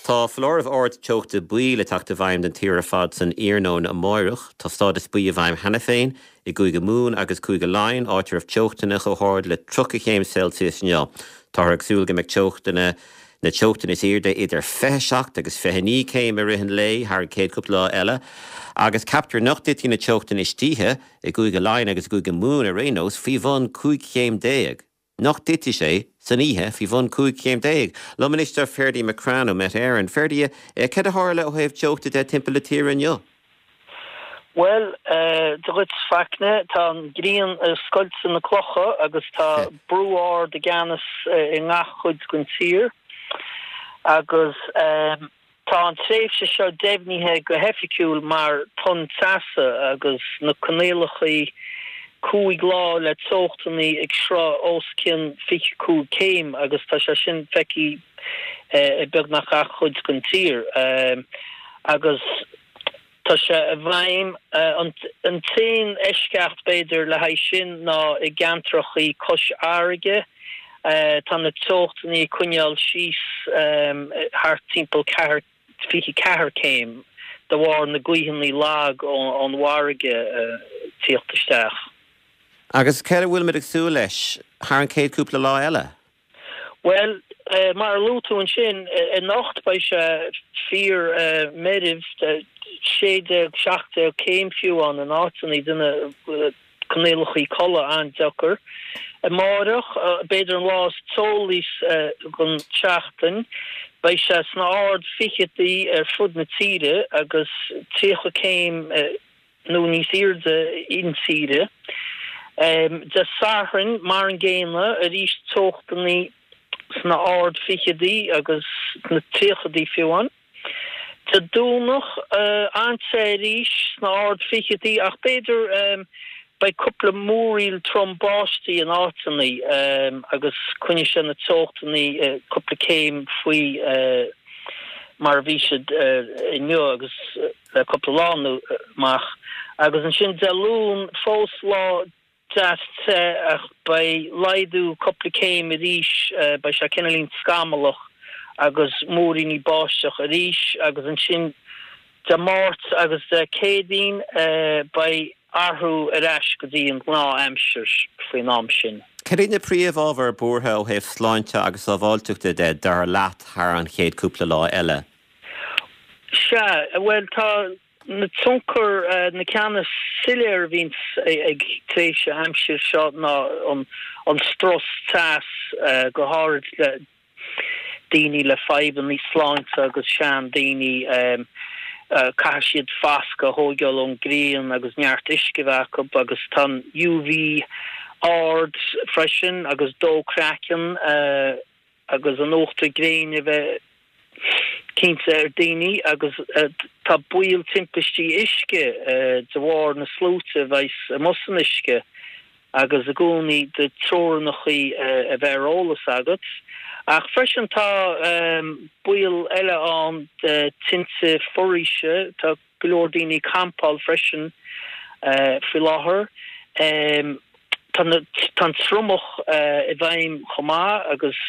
Tá foláireamh ard teochta buí le teacht i bhfeidhm don tír ar fad san iarnóin amáireach. Tá stádas buí i bhfeidhm cheana féin i gCúige Mumhan agus Cúige Laighean, áit a raibh teochtanna chomh hard le 30 chéim Celsius inniu. Táthar ag súil go mbeidh teochtanna na teochtanna is airde idir 27 agus 29 céim i rith an lae thar an chéad cúpla lá eile, agus ceaptar nach dtitfidh na teochtanna istoíche i gCúige Laighean agus i gCúige Mumhan ar aon nós faoi bhun 15 chéim. Nach dtitfidh sé san oíche faoi bhun 15 chéim. Liom anois tá Ferdie McCrann ó Met Éireann. Ferdie, céard a tharla ó thaobh teochta de timpeall na tíre inniu? Bhuel, Dia dhuit Fachtna, tá an ghrian ag scoilteadh na clocha agus tá brú ard i gceannas i ngach chuid den tír agus Tá an tréimhse seo deimhnithe go hoifigiúil mar tonn teasa agus na coinníollacha 5 lá le teochtanna ag sroich os cionn 25 céim agus tá sé sin feicthe i beagnach gach cuid den tír agus tá sé i bhfeidhm. An t-aon eisceacht b'fhéidir le haghaidh sin ná i gceantracha cois fharraige. Tá na teochtanna ag coinneáil síos thart timpeall 24 céim de bharr na gaoitheanna lag ón bhfarraige tíocht isteach. Agus céard a bhfuilimid ag súil leis thar an chéad cúpla lá eile? Bhuel, mar a luaigh tú ansin, anocht beidh sé fíor meirbh, 16, 17 céim fiú ann in áiteanna, déanamh coinníollacha codladh an-deacair. Amáireach, b'fhéidir an lá is teolaí den tseachtain, beidh sé sna ard fichidí ar fud na tíre agus 30 céim nó níos airde intíre. Dé Sathairn, mar an gcéanna, arís teochtanna sna ard fichidí agus sna tríochaidí fiú amháin. Dé Domhnach, an-te arís sna ard fichidí ach b'fhéidir beidh cúpla múraíl trom báistí in áiteanna agus coinneoidh sé na teochtanna cúpla céim faoi mar a bhí siad inniu agus le cúpla lá amach. Agus ansin Dé Luain fós lá deas te ach beidh laghdú cúpla céim arís, beidh sé cineáilín scamallach agus múiríní báisteach arís agus ansin Dé Máirt agus Dé Céadaoin beidh athrú ar ais go dtí an gnáth aimsir faoin am sin. Cad iad na príomh-ábhair buartha ó thaobh sláinte agus sábháilteachta de, dar leat, thar an chéad cúpla lá eile? Sea, bhuel tá na tionchair, na ceanna is soiléire a bhíonns ag tréimhse aimsir seo ná an strus teas, go háirid le daoine le fadhbanna sláinte agus sean daoine, caithfidh siad foscadh a thóigeáil ón ngrian agus neart uisce a bheith acu agus tá an UV ard freisin agus dó craiceann. agus an uachtar gréine a bheith cinnte ar daoine agus tá baol timpistí uisce de bharr na sluaite a bheas amuigh san uisce agus i gcónaí do treorannachaí a bheith ar eolas agat. Ach freisin tá baol eile ann de tinte foraoise, tá go leor daoine ag campáil freisin faoi láthair. Tá an triomach i bhfeidhm chomh maith agus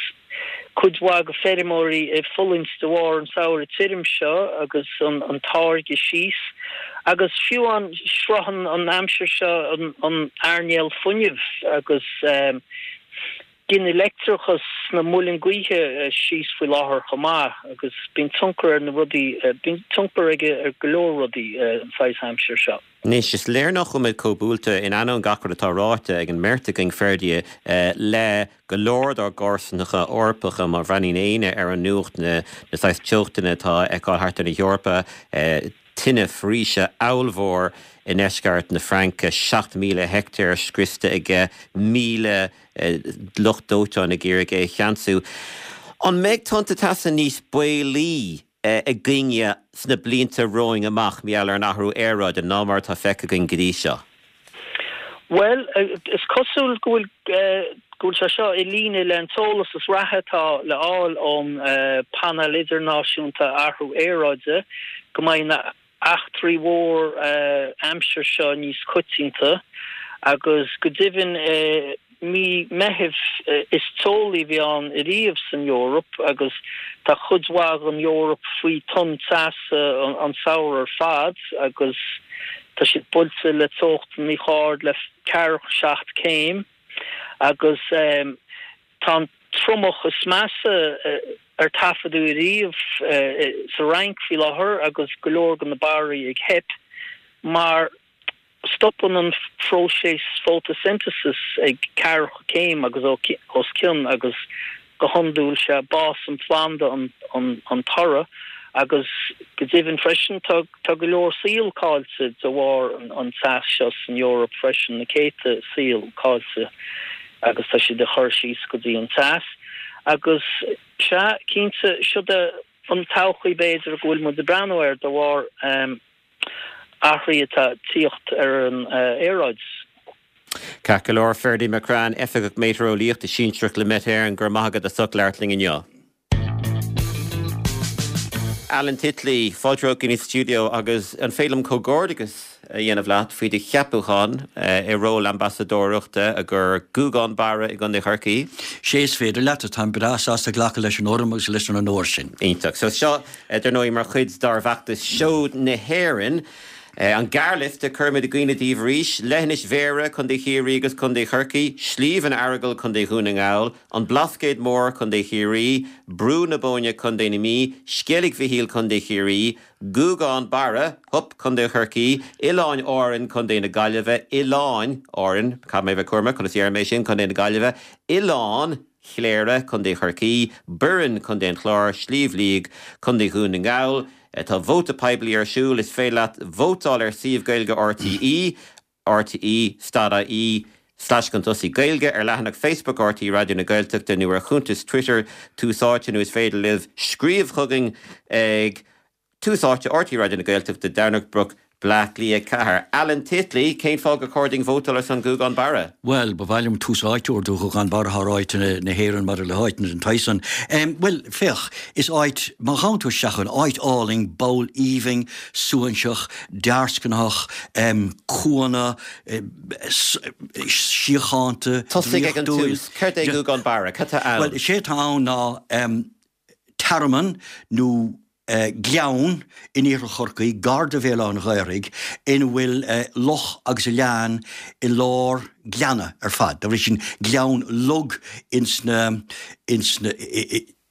cuid mhaith de feirmeoirí ag fulaingt de bharr an samhradh tirim seo agus an táirgeadh síos. Agus fiú amháin sroicheann an aimsir seo an earnáil fuinnimh agus Gineann leictreachas sna muilinn gaoithe síos faoi láthair chomh maith agus bíonn tionchar ar na rudaí, bíonn tionchar aige ar go leor rudaí an saghas aimsir seo. Anois, is léir nach bhfuil muid chomh buailte, in ainneoin gach rud atá ráite ag an mbeirt againn, Ferdie, le go leor dár gcomharsanacha Eorpacha. Má bhreathnaíonn éinne ar an nuacht, na saghas teochtanna atá á fheiceáil thart ar na hEorpa, tine foraoise ollmhór i ndeisceart na Fraince, 7,000 heicteár scriosta aige, 1,000 lucht dóiteáin ag iarraidh é a cheansú. An mbeidh tonnta teasa níos baolaí againne sna blianta romhainn amach mar gheall ar an athrú aeráide ná mar atá feicthe againn go dtí seo? Bhuel, is cosúil go bhfuil go bhfuil sé seo i líne le an t-eolas is reatha atá le fháil ón Painéal Idirnáisiúnta Athrú Aeráide go mbeidh na eachtraí mhór aimsir seo níos coitianta agus go deimhin. mí Meithimh is teolaí a bhí ann ariamh san Eoraip agus tá cuid mhaith den Eoraip faoi tonn teasa an samhradh ar fad agus tá siad buailte le teochtanna chomh hard le ceathracha 7 céim agus tá an triomach is measa ar taifeadadh ariamh sa Fhrainc faoi láthair agus go leor de na barraí ag theip mar Stopann an phróiseas fótaisintesis ag ceathracha céim agus os cionn agus go hiondúil sé bás an phlanda an toradh agus go deimhin freisin tá go leor saol caillte de bharr an teas seo san Eoraip freisin, na céadta saol caillte agus tá siad ag cur síos go dtí an teas agus sea cinnte siod é an todhchaí b'fhéidir go bhfuil muid ag breathnú air de bharr athruithe atá ag tíocht ar an aeráid. Ceart go leor, Ferdie McCrann, Oifigeach Méatareolaíochta Sinsearach le Met Éireann, go raibh maith agat as ucht labhairt linn inniu. Alan Titley, fáilte romhat go dtí an stiúideo agus an féidir liom comhghairdeachas a dhéanamh leat faoi do cheapúchán i ról ambasadóireachta i gcomhair Gúgán Barra i gContae Chorcaí? Sé is féidir leat, táim breá sásta glacadh leis an urraim agus leis an onóir sin. Iontach. So seo Dar ndóigh, mar chuid dár bhfeachtas Seoid na hÉireann, an gearrliosta, cuirfimid i gcuimhne daoibh arís, Leithinis Bhéarra, Contae Chiarraí agus Contae Chorcaí, Sliabh an Earagail, Contae Dhún na nGall, An Blascaod Mór, Contae Chiarraí, Brú na Bóinne, Contae na Mí, Sceilg Mhichíl, Contae Chiarraí, Gúgán Barra, hup, Contae Chorcaí, Oileáin Árann, Contae na Gaillimhe, Oileáin Árann, caithfidh mé a bheith cúramach conas a deirim é sin, Contae na Gaillimhe, Oileán Chléire, Contae Chorcaí, Boirinn, Contae an Chláir, Sliabh Liag, Contae Dhún na nGall. Tá vóta poiblí ar siúl. Is féidir leat vótáil ar suíomh Gaeilge RTÉ, rte stad ie slash chun tosaigh Gaeilge, ar leathanach Facebook RTÉ Raidió na Gaeltachta nó ar chuntas Twitter Tús Áite nó is féidir libh scríobh chugainn ag. Tús Áite, RTÉ Raidió na Gaeltachta, Domhnach Broc, Bleá Cliath 4. Alan Titley, Cén fáth gur chóir dúinn vótáil ar son Ghúgán Barra? Bhuel, ba mhaith liom tús áite a thabhairt do Ghúgán Barra thar áiteanna na hÉireann maidir le háiteanna den tsaghas san. Bhuel, féach, is áit, má ghabhann tú isteach ann, áit álainn, ball aoibhinn, suaithinseach, dearscnaitheach, cuanna, síochánta, Tosaigh ag an draíochtúil. tús, céard é Gúgán Barra? Cad tá ann? Bhuel, is é atá ann ná tearmann nó gleann in iarthar Chorcaí, gar do Bhéal Átha an Ghaorthaidh, ina bhfuil loch agus oileán i lár gleanna ar fad. Dá bhrí sin, gleann log ins na, ins na,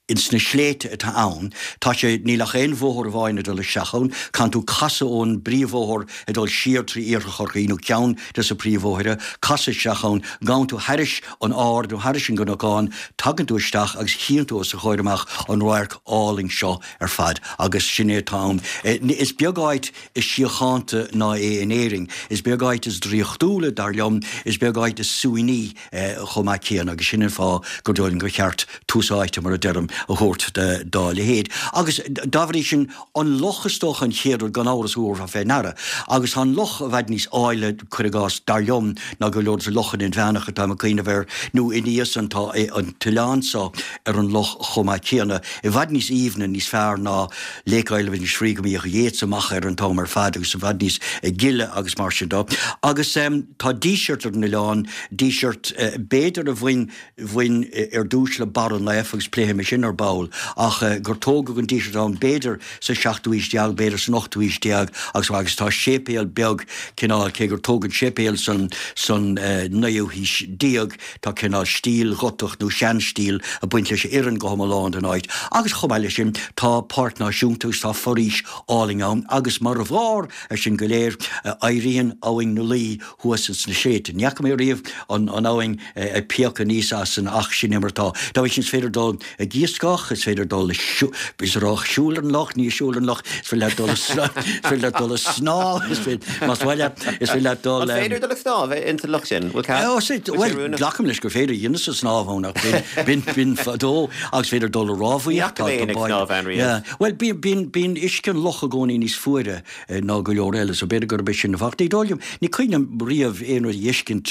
ins na sléibhte atá ann. Tá sé, níl ach aon bhóthar amháin ag dul isteach ann. Caitheann tú casadh ón bpríomhbhóthar ag dul siar trí iarthar Chorcaí, nó ceann de na príomhbhóithre, casadh isteach ann, gabhann tú thairis an ard nó thairis an gcnocán, tagann tú isteach agus chíonn tú os do chomhair amach an radharc álainn seo ar fad agus sin é atá ann. Is beag áit is síochánta ná é in Éirinn. Is beag áit is draíochtúla, dar liom, is beag áit is suaimhní chomh maith céanna agus sin an fáth gur dóigh liom gur cheart tús áite, mar a deirim, a thabhairt dá leithéid. Agus dá bhrí sin, An loch is dócha an chéad rud gan amhras a thabharfá fé ndeara. Agus tá an loch i bhfad níos áille, cuir i gcás, dar liom, ná go leor de lochanna inmheánacha atáim ag cuimhneamh air, nó ina dhiaidh san tá an t-oileán so ar an loch chomh maith céanna, i bhfad níos aoibhne, níos fearr ná Lake Isle of Innisfree go mbíodh Yeats amach air an t-am ar fad agus i bhfad níos gile agus mar sin de. Agus tá díseart ar an oileán, díseart b'fhéidir a bhain bhain ar dtús le Barra Naofa agus pléifidh mé sin ar ball, ach gur tógadh an díseart ann b'fhéidir sa seachtú haois déag, b'fhéidir san ochtú haois déag agus agus tá séipéal beag cineál, cé gur tógadh an séipéal san san naoú haois déag, tá cineál stíl Ghotach nó seanstíl ag baint leis a oireann go hiomlán don áit. Agus chomh maith leis sin tá páirc náisiúnta agus tá foraois álainn ann agus mar bharr ar sin go léir éiríonn Abhainn na Laoi thuas ins na sléibhte. Ní fhaca mé riamh an abhainn ag piocadh aníos as san ach sin é mar atá. Dá bhrí sin is féidir dul ag iascach, is féidir dul ag siúl ar an loch, ní ag siúl ar an loch, is féidir leat dul is féidir leat dul ag snámh, is féidir, más maith leat, is féidir leat dul. An féidir dul ag snámh ins an loch sin? Bhfuil cead? Bhuel, glacaim leis gur féidir, dheineas-sa snámh ann ach b'in, b'in fadó agus is féidir dul ag rámhaíocht. Ní fhaca mé éinne ag snámh ann riamh. Bhuel, bíonn, bíonn uisce an loch i gcónaí níos fuaire ná go leor eile, so b'fhéidir gurb é sin an fáth. Ní dóigh liom, ní cuimhin liom riamh aon rud a fheiscint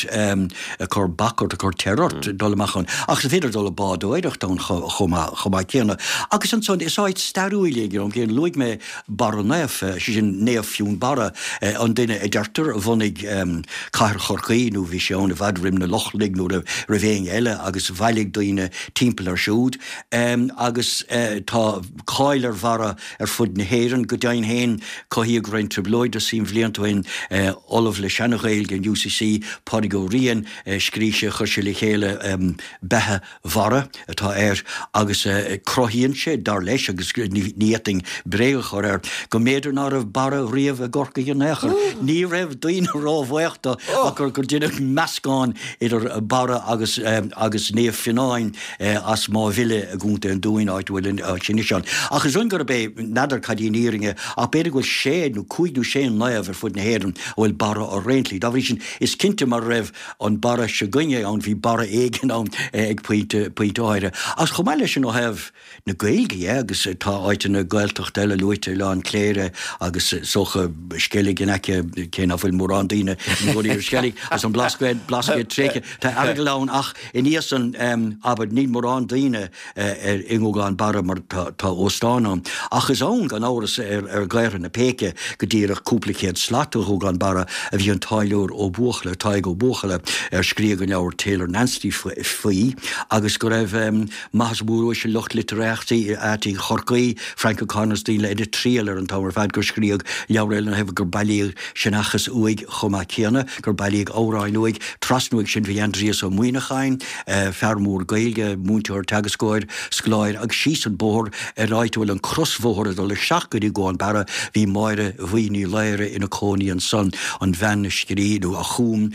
ag cur bac ort, ag cur teir ort dul amach ann. Ach is féidir dul ag bádóireacht ann chomh maith. chomh maith céanna. Agus ansan, is áit stairiúil í ag an am céanna. Luaigh mé Barra Naofa, sé sin Naomh Fionnbarra, an duine a deirtear a bhunaigh cathair Chorcaí, nó bhí sé ann i bhfad roim na Lochlannaigh nó roimh éinne eile agus bhailigh daoine timpeall air siúd. Agus tá cáil ar Bharra ar fud na hÉireann. Go deimhin féin, cothaíodh roinnt trioblóide suim bhlianta ó shin, Ollamh le Seana-Ghaeilge in UCC, Pádraig Ó Riain, scrígh sé, chuir sé le chéile Beatha Bharra atá air agus cruthaíonn sé, dar leis, agus ní fhéadfainn bréag a chur air, go mb'fhéidir ná raibh Barra riamh i gCorcaigh in aon chor. Ní raibh daoine róbhuíoch de ach gur deineadh meascán idir Barra agus agus Naomh Fionnáin as Máigh Bhile i gContae an Dúin, áit a bhfuil an áit sin anois ann. Ach is ann gurb é, n'fheadar cad í an fhírinne, ach b'fhéidir go bhfuil sé nó cúig nó sé naomh ar fud na hÉireann a bhfuil Barra orthu ar aon tslí. Dá bhrí sin, is cinnte mura raibh an Barra s'againne ann, bhí Barra éigin ann ag pointe, pointe áirithe. Agus chomh maith leis sin ó thaobh na Gaeilge dhe, agus tá áiteanna Gaeltachta eile luaite, Oileán Cléire agus is dócha Sceilg in aice, cé ná fuil mórán daoine ina gcónaí ar Sceilg, agus an Blascaod, Blascaod tréigthe, tá Earagail ann ach aníos an, abair, níl mórán daoine i nGuagán Barra mar tá óstán ann. Ach is ann, gan amhras, ar Ghaorthadh na Péice, go díreach cúpla céad slat ó Ghuagán Barra, a bhí an táilliúir Ó Buachalla, Tadhg Ó Buachalla, ar scríodh an leabhar Taylor Nancy faoi, agus go raibh maitheas mór uaisle lucht litearthachta Chorcaí, Frank O'Connor is daoine eile ina triall air an t-am ar fad gur scríodh leabhar eile ina thaobh, gur bailíodh seanchas uaidh chomh maith céanna, gur bailíodh amhráin uaidh. Trasna uaidh sin bhí Aindrias Ó Muimhneacháin, fear mór Gaeilge, múinteoir, teagascóir, scoláire agus síos an bóthar ar áit a bhfuil an crosbhóthar ag dul isteach go dtí Guagán Barra bhí Máire Bhuí Ní Laoghaire ina cónaí ansan, an bhean a scrígh nó a chum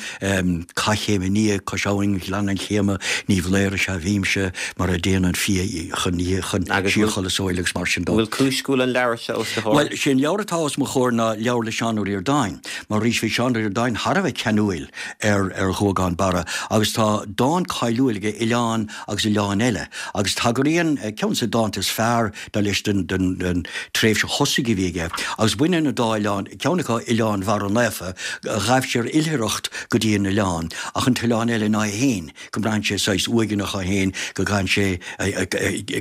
Cath Chéim Nia, Cois Abhainn Ghleann an Chéama, Ní Bhlaoir is ea bhímse, mar a dtéann an fia chun chun síorchodladh sóil agus mar sin dó. Bhfuil cúis go bhfuil an leabhar seo os do chomhair? Bhuel, sé an leabhar atá os mo chomhair ná leabhar le Seán Ó Ríordáin, mar arís bhí Seán Ó Ríordáin thar a bheith ceanúil ar ar Ghuagán Barra agus tá dán cáiliúil aige, Oileán agus Oileáin Eile, agus tagraíonn ceann de na dánta is fearr dar leis den den den tréimhse thosaigh a bhí aige, agus baineann an dá oileán, ceann acu Oileán Bharra Naofa, ghabh sé ar oilithreacht go dtí an oileán, ach an t-oileán eile ná é féin. go mbraitheann sé saghas uaigneach é féin, go gcaitheann sé,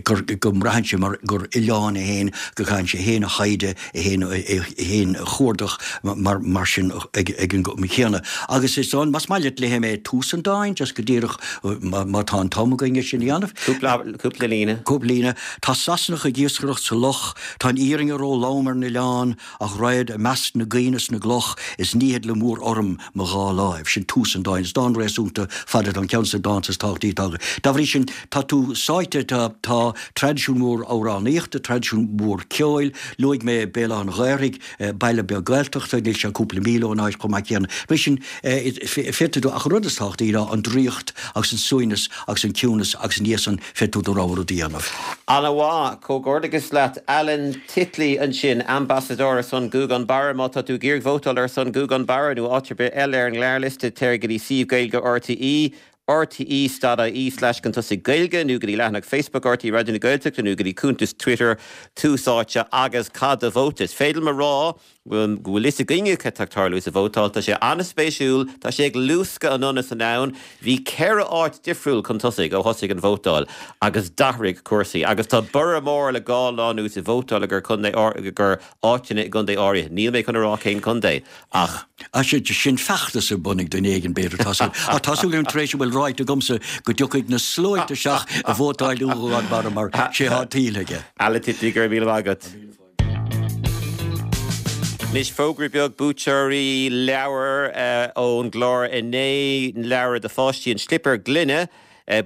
gur, go mbraitheann sé mar gur oileán é féin, go gcaitheann sé é féin a thaighde, é féin, é féin a chuardach mar, mar sin ag, ag an gcuma chéanna. Agus is ann, más maith leat léifidh mé tús an dáin, just go díreach má, má tá an t-am againn é sin a dhéanamh. Cúpla, cúpla líne. Cúpla líne. Tá Sasanach ag iascaireacht sa loch, tá an fhírinne ró-lom ar an oileán, Ach raghad i measc na gcaon is na gcloch is nífead le mór-urraim mo dhá láimh. Sin tús an dáin. Is dán réasúnta fada atá ann, ceann de na dánta is tábhachtaí atá againn. Dá bhrí sin, tá tú sáite, tá, tá traidisiún mór amhránaíochta, traidisiún mór ceoil. Luaigh mé Béal Átha an Ghaorthaidh, baile beag Gaeltachta, níl sé cúpla míle ón áit chomh maith céanna. Dá bhrí sin, féadfaidh tú, ach an rud is tábhachtaí ná an draíocht agus an suaimhneas agus an ciúnas agus ina dhiaidh san féadfaidh tú do rogha rud a dhéanamh. Ana-mhaith. Comhghairdeachas leat Alan Titley ansin, ambasadóir ar son Ghuagán Barra. Má tá tú ag iarraidh vótáil ar son Ghuagán Barra nó áit ar bith eile ar an ngearrliosta, téir go dtí suíomh Gaeilge RTÉ, rte.ie slash chun tosaigh Gaeilge nó go dtí leathanach Facebook RTÉ Raidió na Gaeltachta nó go dtí cuntas Twitter Tús Áite agus caith do vóta. Is féidir liom a rá go bhfuil fhios againne cad tá ag tarlú sa vótáil. Tá sé an-spéisiúil, tá sé ag luascadh anonn is anonn. Bhí 4 áit difriúil chun tosaigh ó thosaigh an vótáil agus d'athraigh cúrsaí. Agus tá borradh mór le dhá lá anuas i vótáil i gcontae gur áiteanna i gcontae áirithe. Níl mé chun a rá cén contae ach. Sin feachtas ar bun ag duine éigin b'fhéidir. Tá súil ach tá súil agam tar éis a bhfuil ráite agamsa go dtiocfaidh na sluaite isteach a vótáil do Ghuagán Barra mar sé atá tuillte aige. Alan Titley, go raibh míle maith agat. Anois fógra beag, buaiteoirí leabhar ón gclár inné, leabhar do pháistí An Slipéar Gloine,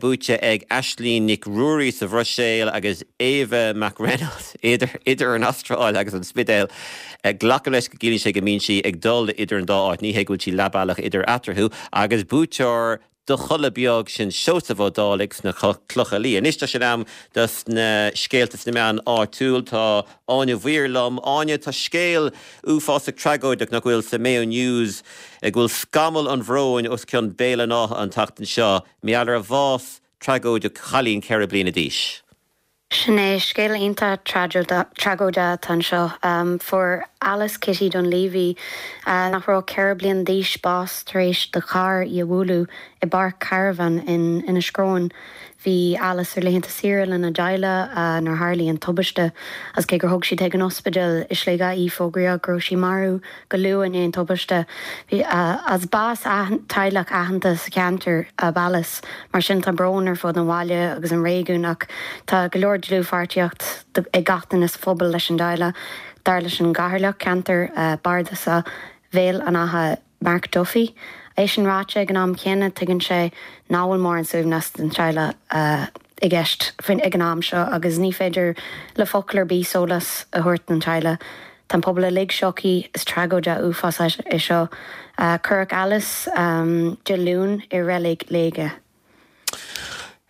buaite ag Aislínn Nic Ruairí sa Bhruiséil agus Eva McReynolds idir an Astráil agus an Spidéal. Glacaim leis go gciallaíonn sé go mbíonn sí ag dul idir an dá áit, ní hé go bhfuil sí leath bealach idir eatarthu, agus buaiteoir Do Chodladh Beag, sin Seosamh Ó Dálaigh sna Clocha Liath. Anois tá sé in am dos na scéalta sna meáin áitiúil. Tá Áine Mhaoir liom. Áine, tá scéal uafásach tragóideach nach bhfuil sa Mayo News, go bhfuil scamall an bhróin os cionn Béal an Átha an tseachtain seo, mar gheall ar bhás tragóideach chailín 4 bliana d'aois. Sin é, scéal iontach tragóideach atá anseo. Fuair Alice Kitty Dunleavy, nach raibh ach 4 bliana d'aois, bás tar éis do charr í a bhualadh i bpáirc caravan in Inis Cromhain. Bhí Alice ar laethanta saoire lena dteaghlach nuair a tharlaigh an tubaiste agus cé gur thug siad chuig an ospidéal i Sligeach í, fógraíodh go raibh sí marbh go luath i ndiaidh an tubaiste. As bas teaghlach aitheanta sa cheantar ab Alice, mar sin tá brón ar fud an bhaile agus an réigiúin ach tá go leor dlúthpháirtíocht ag gach duine sa phobal leis an dteaghlach, dar leis an gcathaoirleach ceantair bardasach Bhéal an Átha. Mark Duffy. É sin ráite, ag an am chéanna, tuigeann sé nach bhfuil mórán suaimhneas don teaghlach i gceist ag an am seo agus ní féidir le focal ar bith sólás a thabhairt don teaghlach. Tá an pobal uilig sioctha, is tragóid uafásach é seo. Cuireadh Alice Dé Luain i Reilig Léige.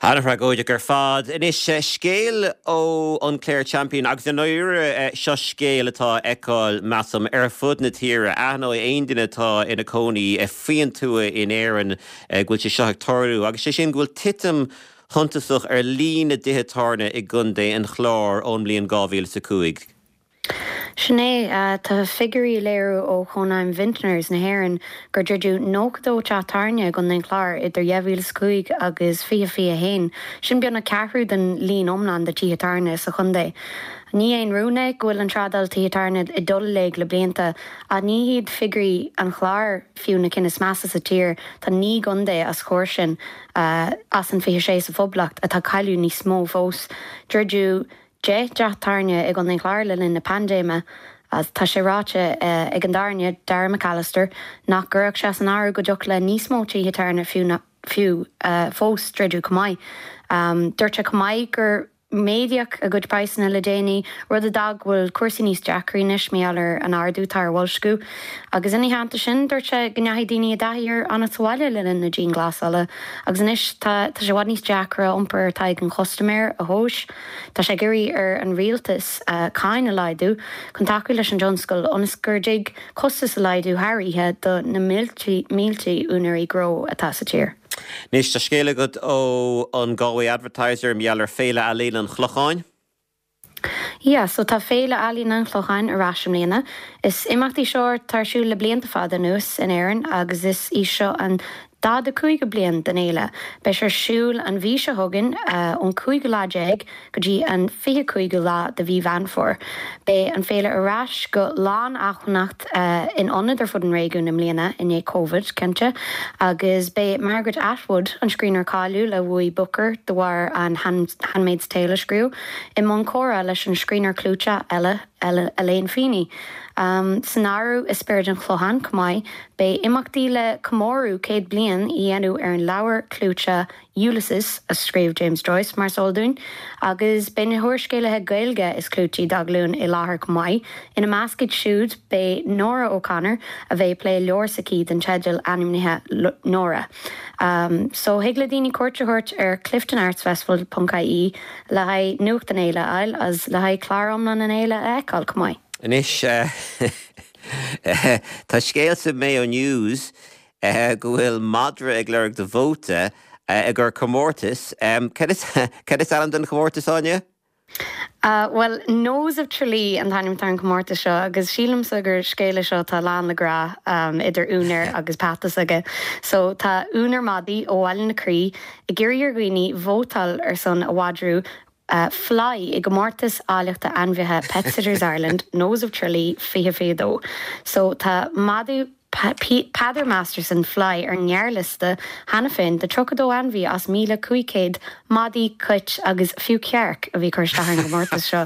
An-thragóideach ar fad. Anois, scéal ó an Clare Champion, agus i ndáiríre, seo scéal atá á fheiceáil, measaim, ar fud na tíre. Aithneoidh aon duine atá ina cónaí faoin tuath in Éirinn go bhfuil sé seo ag tarlú, agus sé sin go bhfuil titim shuntasach ar líon na dtithe tábhairne i gContae an Chláir ón mbliain 2005. Sin é, tá figiúirí ag léiriú ó Chónaidhm Vintners na hÉireann gur druideadh 92 teach tábhairne i gContae an Chláir idir 2005 agus 2021. Sin beagnach ceathrú den líon iomlán de tithe tábhairne sa chontae. Ní aon rún é go bhfuil an trádáil tithe tábhairne ag dul i léig le blianta, ach ní hiad figiúirí an Chláir fiú na cinn is measa sa tír, tá 9 gcontae os comhair sin, as an 26 sa Phoblacht, atá ag cailleadh níos mó fós. Druideadh. 10 dteach tábhairne i gContae an Chláir le linn na paindéime. Tá sé ráite ag an dtábhairne, Dara McAllister, nach gcuirfeadh sé as an áireamh go dtiocfadh le níos mó tithe tábhairne fiú fiú fós druideadh chomh maith. Dúirt sé chomh maith gur méadaíodh a gcuid praghsanna le déanaí, rud a d'fhág go bhfuil cúrsaí níos deacraí anois mar gheall ar an ardú atá ar bhoilsciú. Agus ina theannta sin, dúirt sé go ndeachaigh daoine i dtaithí ar fhanacht sa bhaile le linn na dianghlasála agus anois tá sé i bhfad níos deacra iompar atá ag an chustaiméir a thomhas. Tá sé ag iarraidh ar an rialtas cáin a laghdú chun tacú leis an dtionscal ionas gur dtig costais a laghdú thar oíche do na mílte úinéirí gnó atá sa tír. Anois tá scéal agat ó an Galway Advertiser mar gheall ar Féile Ealaíon an Chlocháin. Yeah, so tá Féile Ealaíon an Chlocháin ar ais i mbliana. Is imeacht í seo atá ar siúl le blianta fada anuas in Éirinn agus is í seo an 45ú bliain den fhéile. Beidh sé ar siúl an mhí seo chugainn, ón cúigiú lá déag go dtí an 25ú lá de mhí Mheán Fómhair. Beidh an féile ar ais go lánacmhainneacht in ionaid ar fud an réigiúin i mbliana, i ndiaidh Covid, cinnte, agus beidh Margaret Atwood, an scríbhneoir cáiliúil a bhuaigh Booker de bharr an Handmaid's Tale a scríobh, i mbun comhrá leis an scríbhneoir clúiteach eile, Elaine Feeney. San áireamh i Spiorad an Chlocháin chomh maith, beidh imeachtaí le comóradh 100 bliain a dhéanamh ar an leabhar clúiteach Ulysses a scríobh James Joyce, mar is eol dúinn, agus beidh na húrscéalaithe Gaeilge is clúití dá nglúin i láthair chomh maith. Ina measc iad siúd beidh Nóra O'Connor, a bheidh ag plé leabhar s'aici den teideal ainmnithe Nóra. So thig le daoine cuairt a thabhairt ar cliftonartsfestival ponc ie le haghaidh nuacht an fhéile a fháil agus le haghaidh clár iomlán an fhéile a fheiceáil chomh maith. Anois, tá scéal sa Mayo News go bhfuil madra ag lorg do vóta i gcomhair comórtas. Cad is ainm don chomórtas, Áine? Bhuel, Nose of Tralee an t-ainm atá ar an chomórtas seo agus sílimse gur scéal é seo atá lán le grá idir úinéir agus peata s'aige. So tá úinéir madaidh ó Bhaile na Crí ag iarraidh ar dhaoine vótáil ar son a mhadra Fly i gcomórtas áilleachta ainmhithe Pet Sitters Ireland Nose of Tralee 2022. So tá madadh Peadar Masterson, Fly, ar an ngearrliosta cheana féin de 32 ainmhí as 1,500 madaí, cait agus fiú cearc a bhí ag cur isteach ar an gcomórtas seo.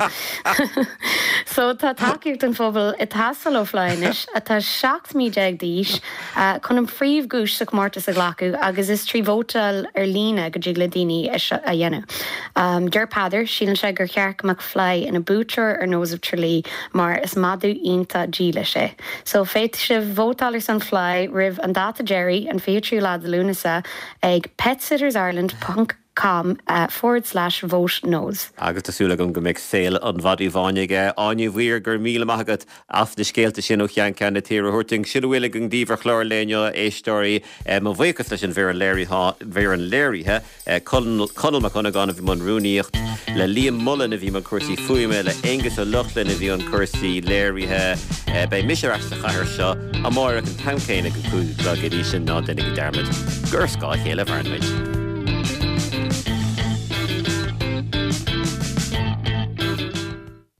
So tá tacaíocht an phobail ag teastáil ó Fly anois, atá 17 mí d'aois, chun an phríomhdhuais sa chomórtas a ghlacadh agus is trí vótáil ar líne go dtig le daoine é seo a dhéanamh. Deir Peadar, síleann sé gur cheart go mbeadh Fly ina buaiteoir ar Nose of Tralee mar is madadh iontach dílis é. So féadfaidh sibh vótáil ar son Fly roimh an dáta deiridh, an 23ú lá de Lúnasa, ag petsittersireland ponc com forward slash vote nose. Agus tá súil agam go mbeidh saol an mhadaidh bháin aige. Áine Ní Mhaoir, go raibh míle maith agat as na scéalta sin ó cheann ceann na tíre a thabhairt dúinn. Sin a bhfuil againn daoibh ar chlár an lae inniu, a éisteoirí. Mo bhuíochas leis an bhfoireann léirithe. Conall Mac Dhonnagáin a bhí i mbun rúnaíocht, le Liam Mullen a bhí i mbun cúrsaí fuaime, le Aonghus Ó Lochlainn a bhí i mbun cúrsaí léirithe. Beidh mise ar ais sa chathair seo amáireach an t-am céanna ag a 5 a chlog. Go dtí sin, ná déanaigí dearmad gur ar scáth a chéile a mhaireann muid.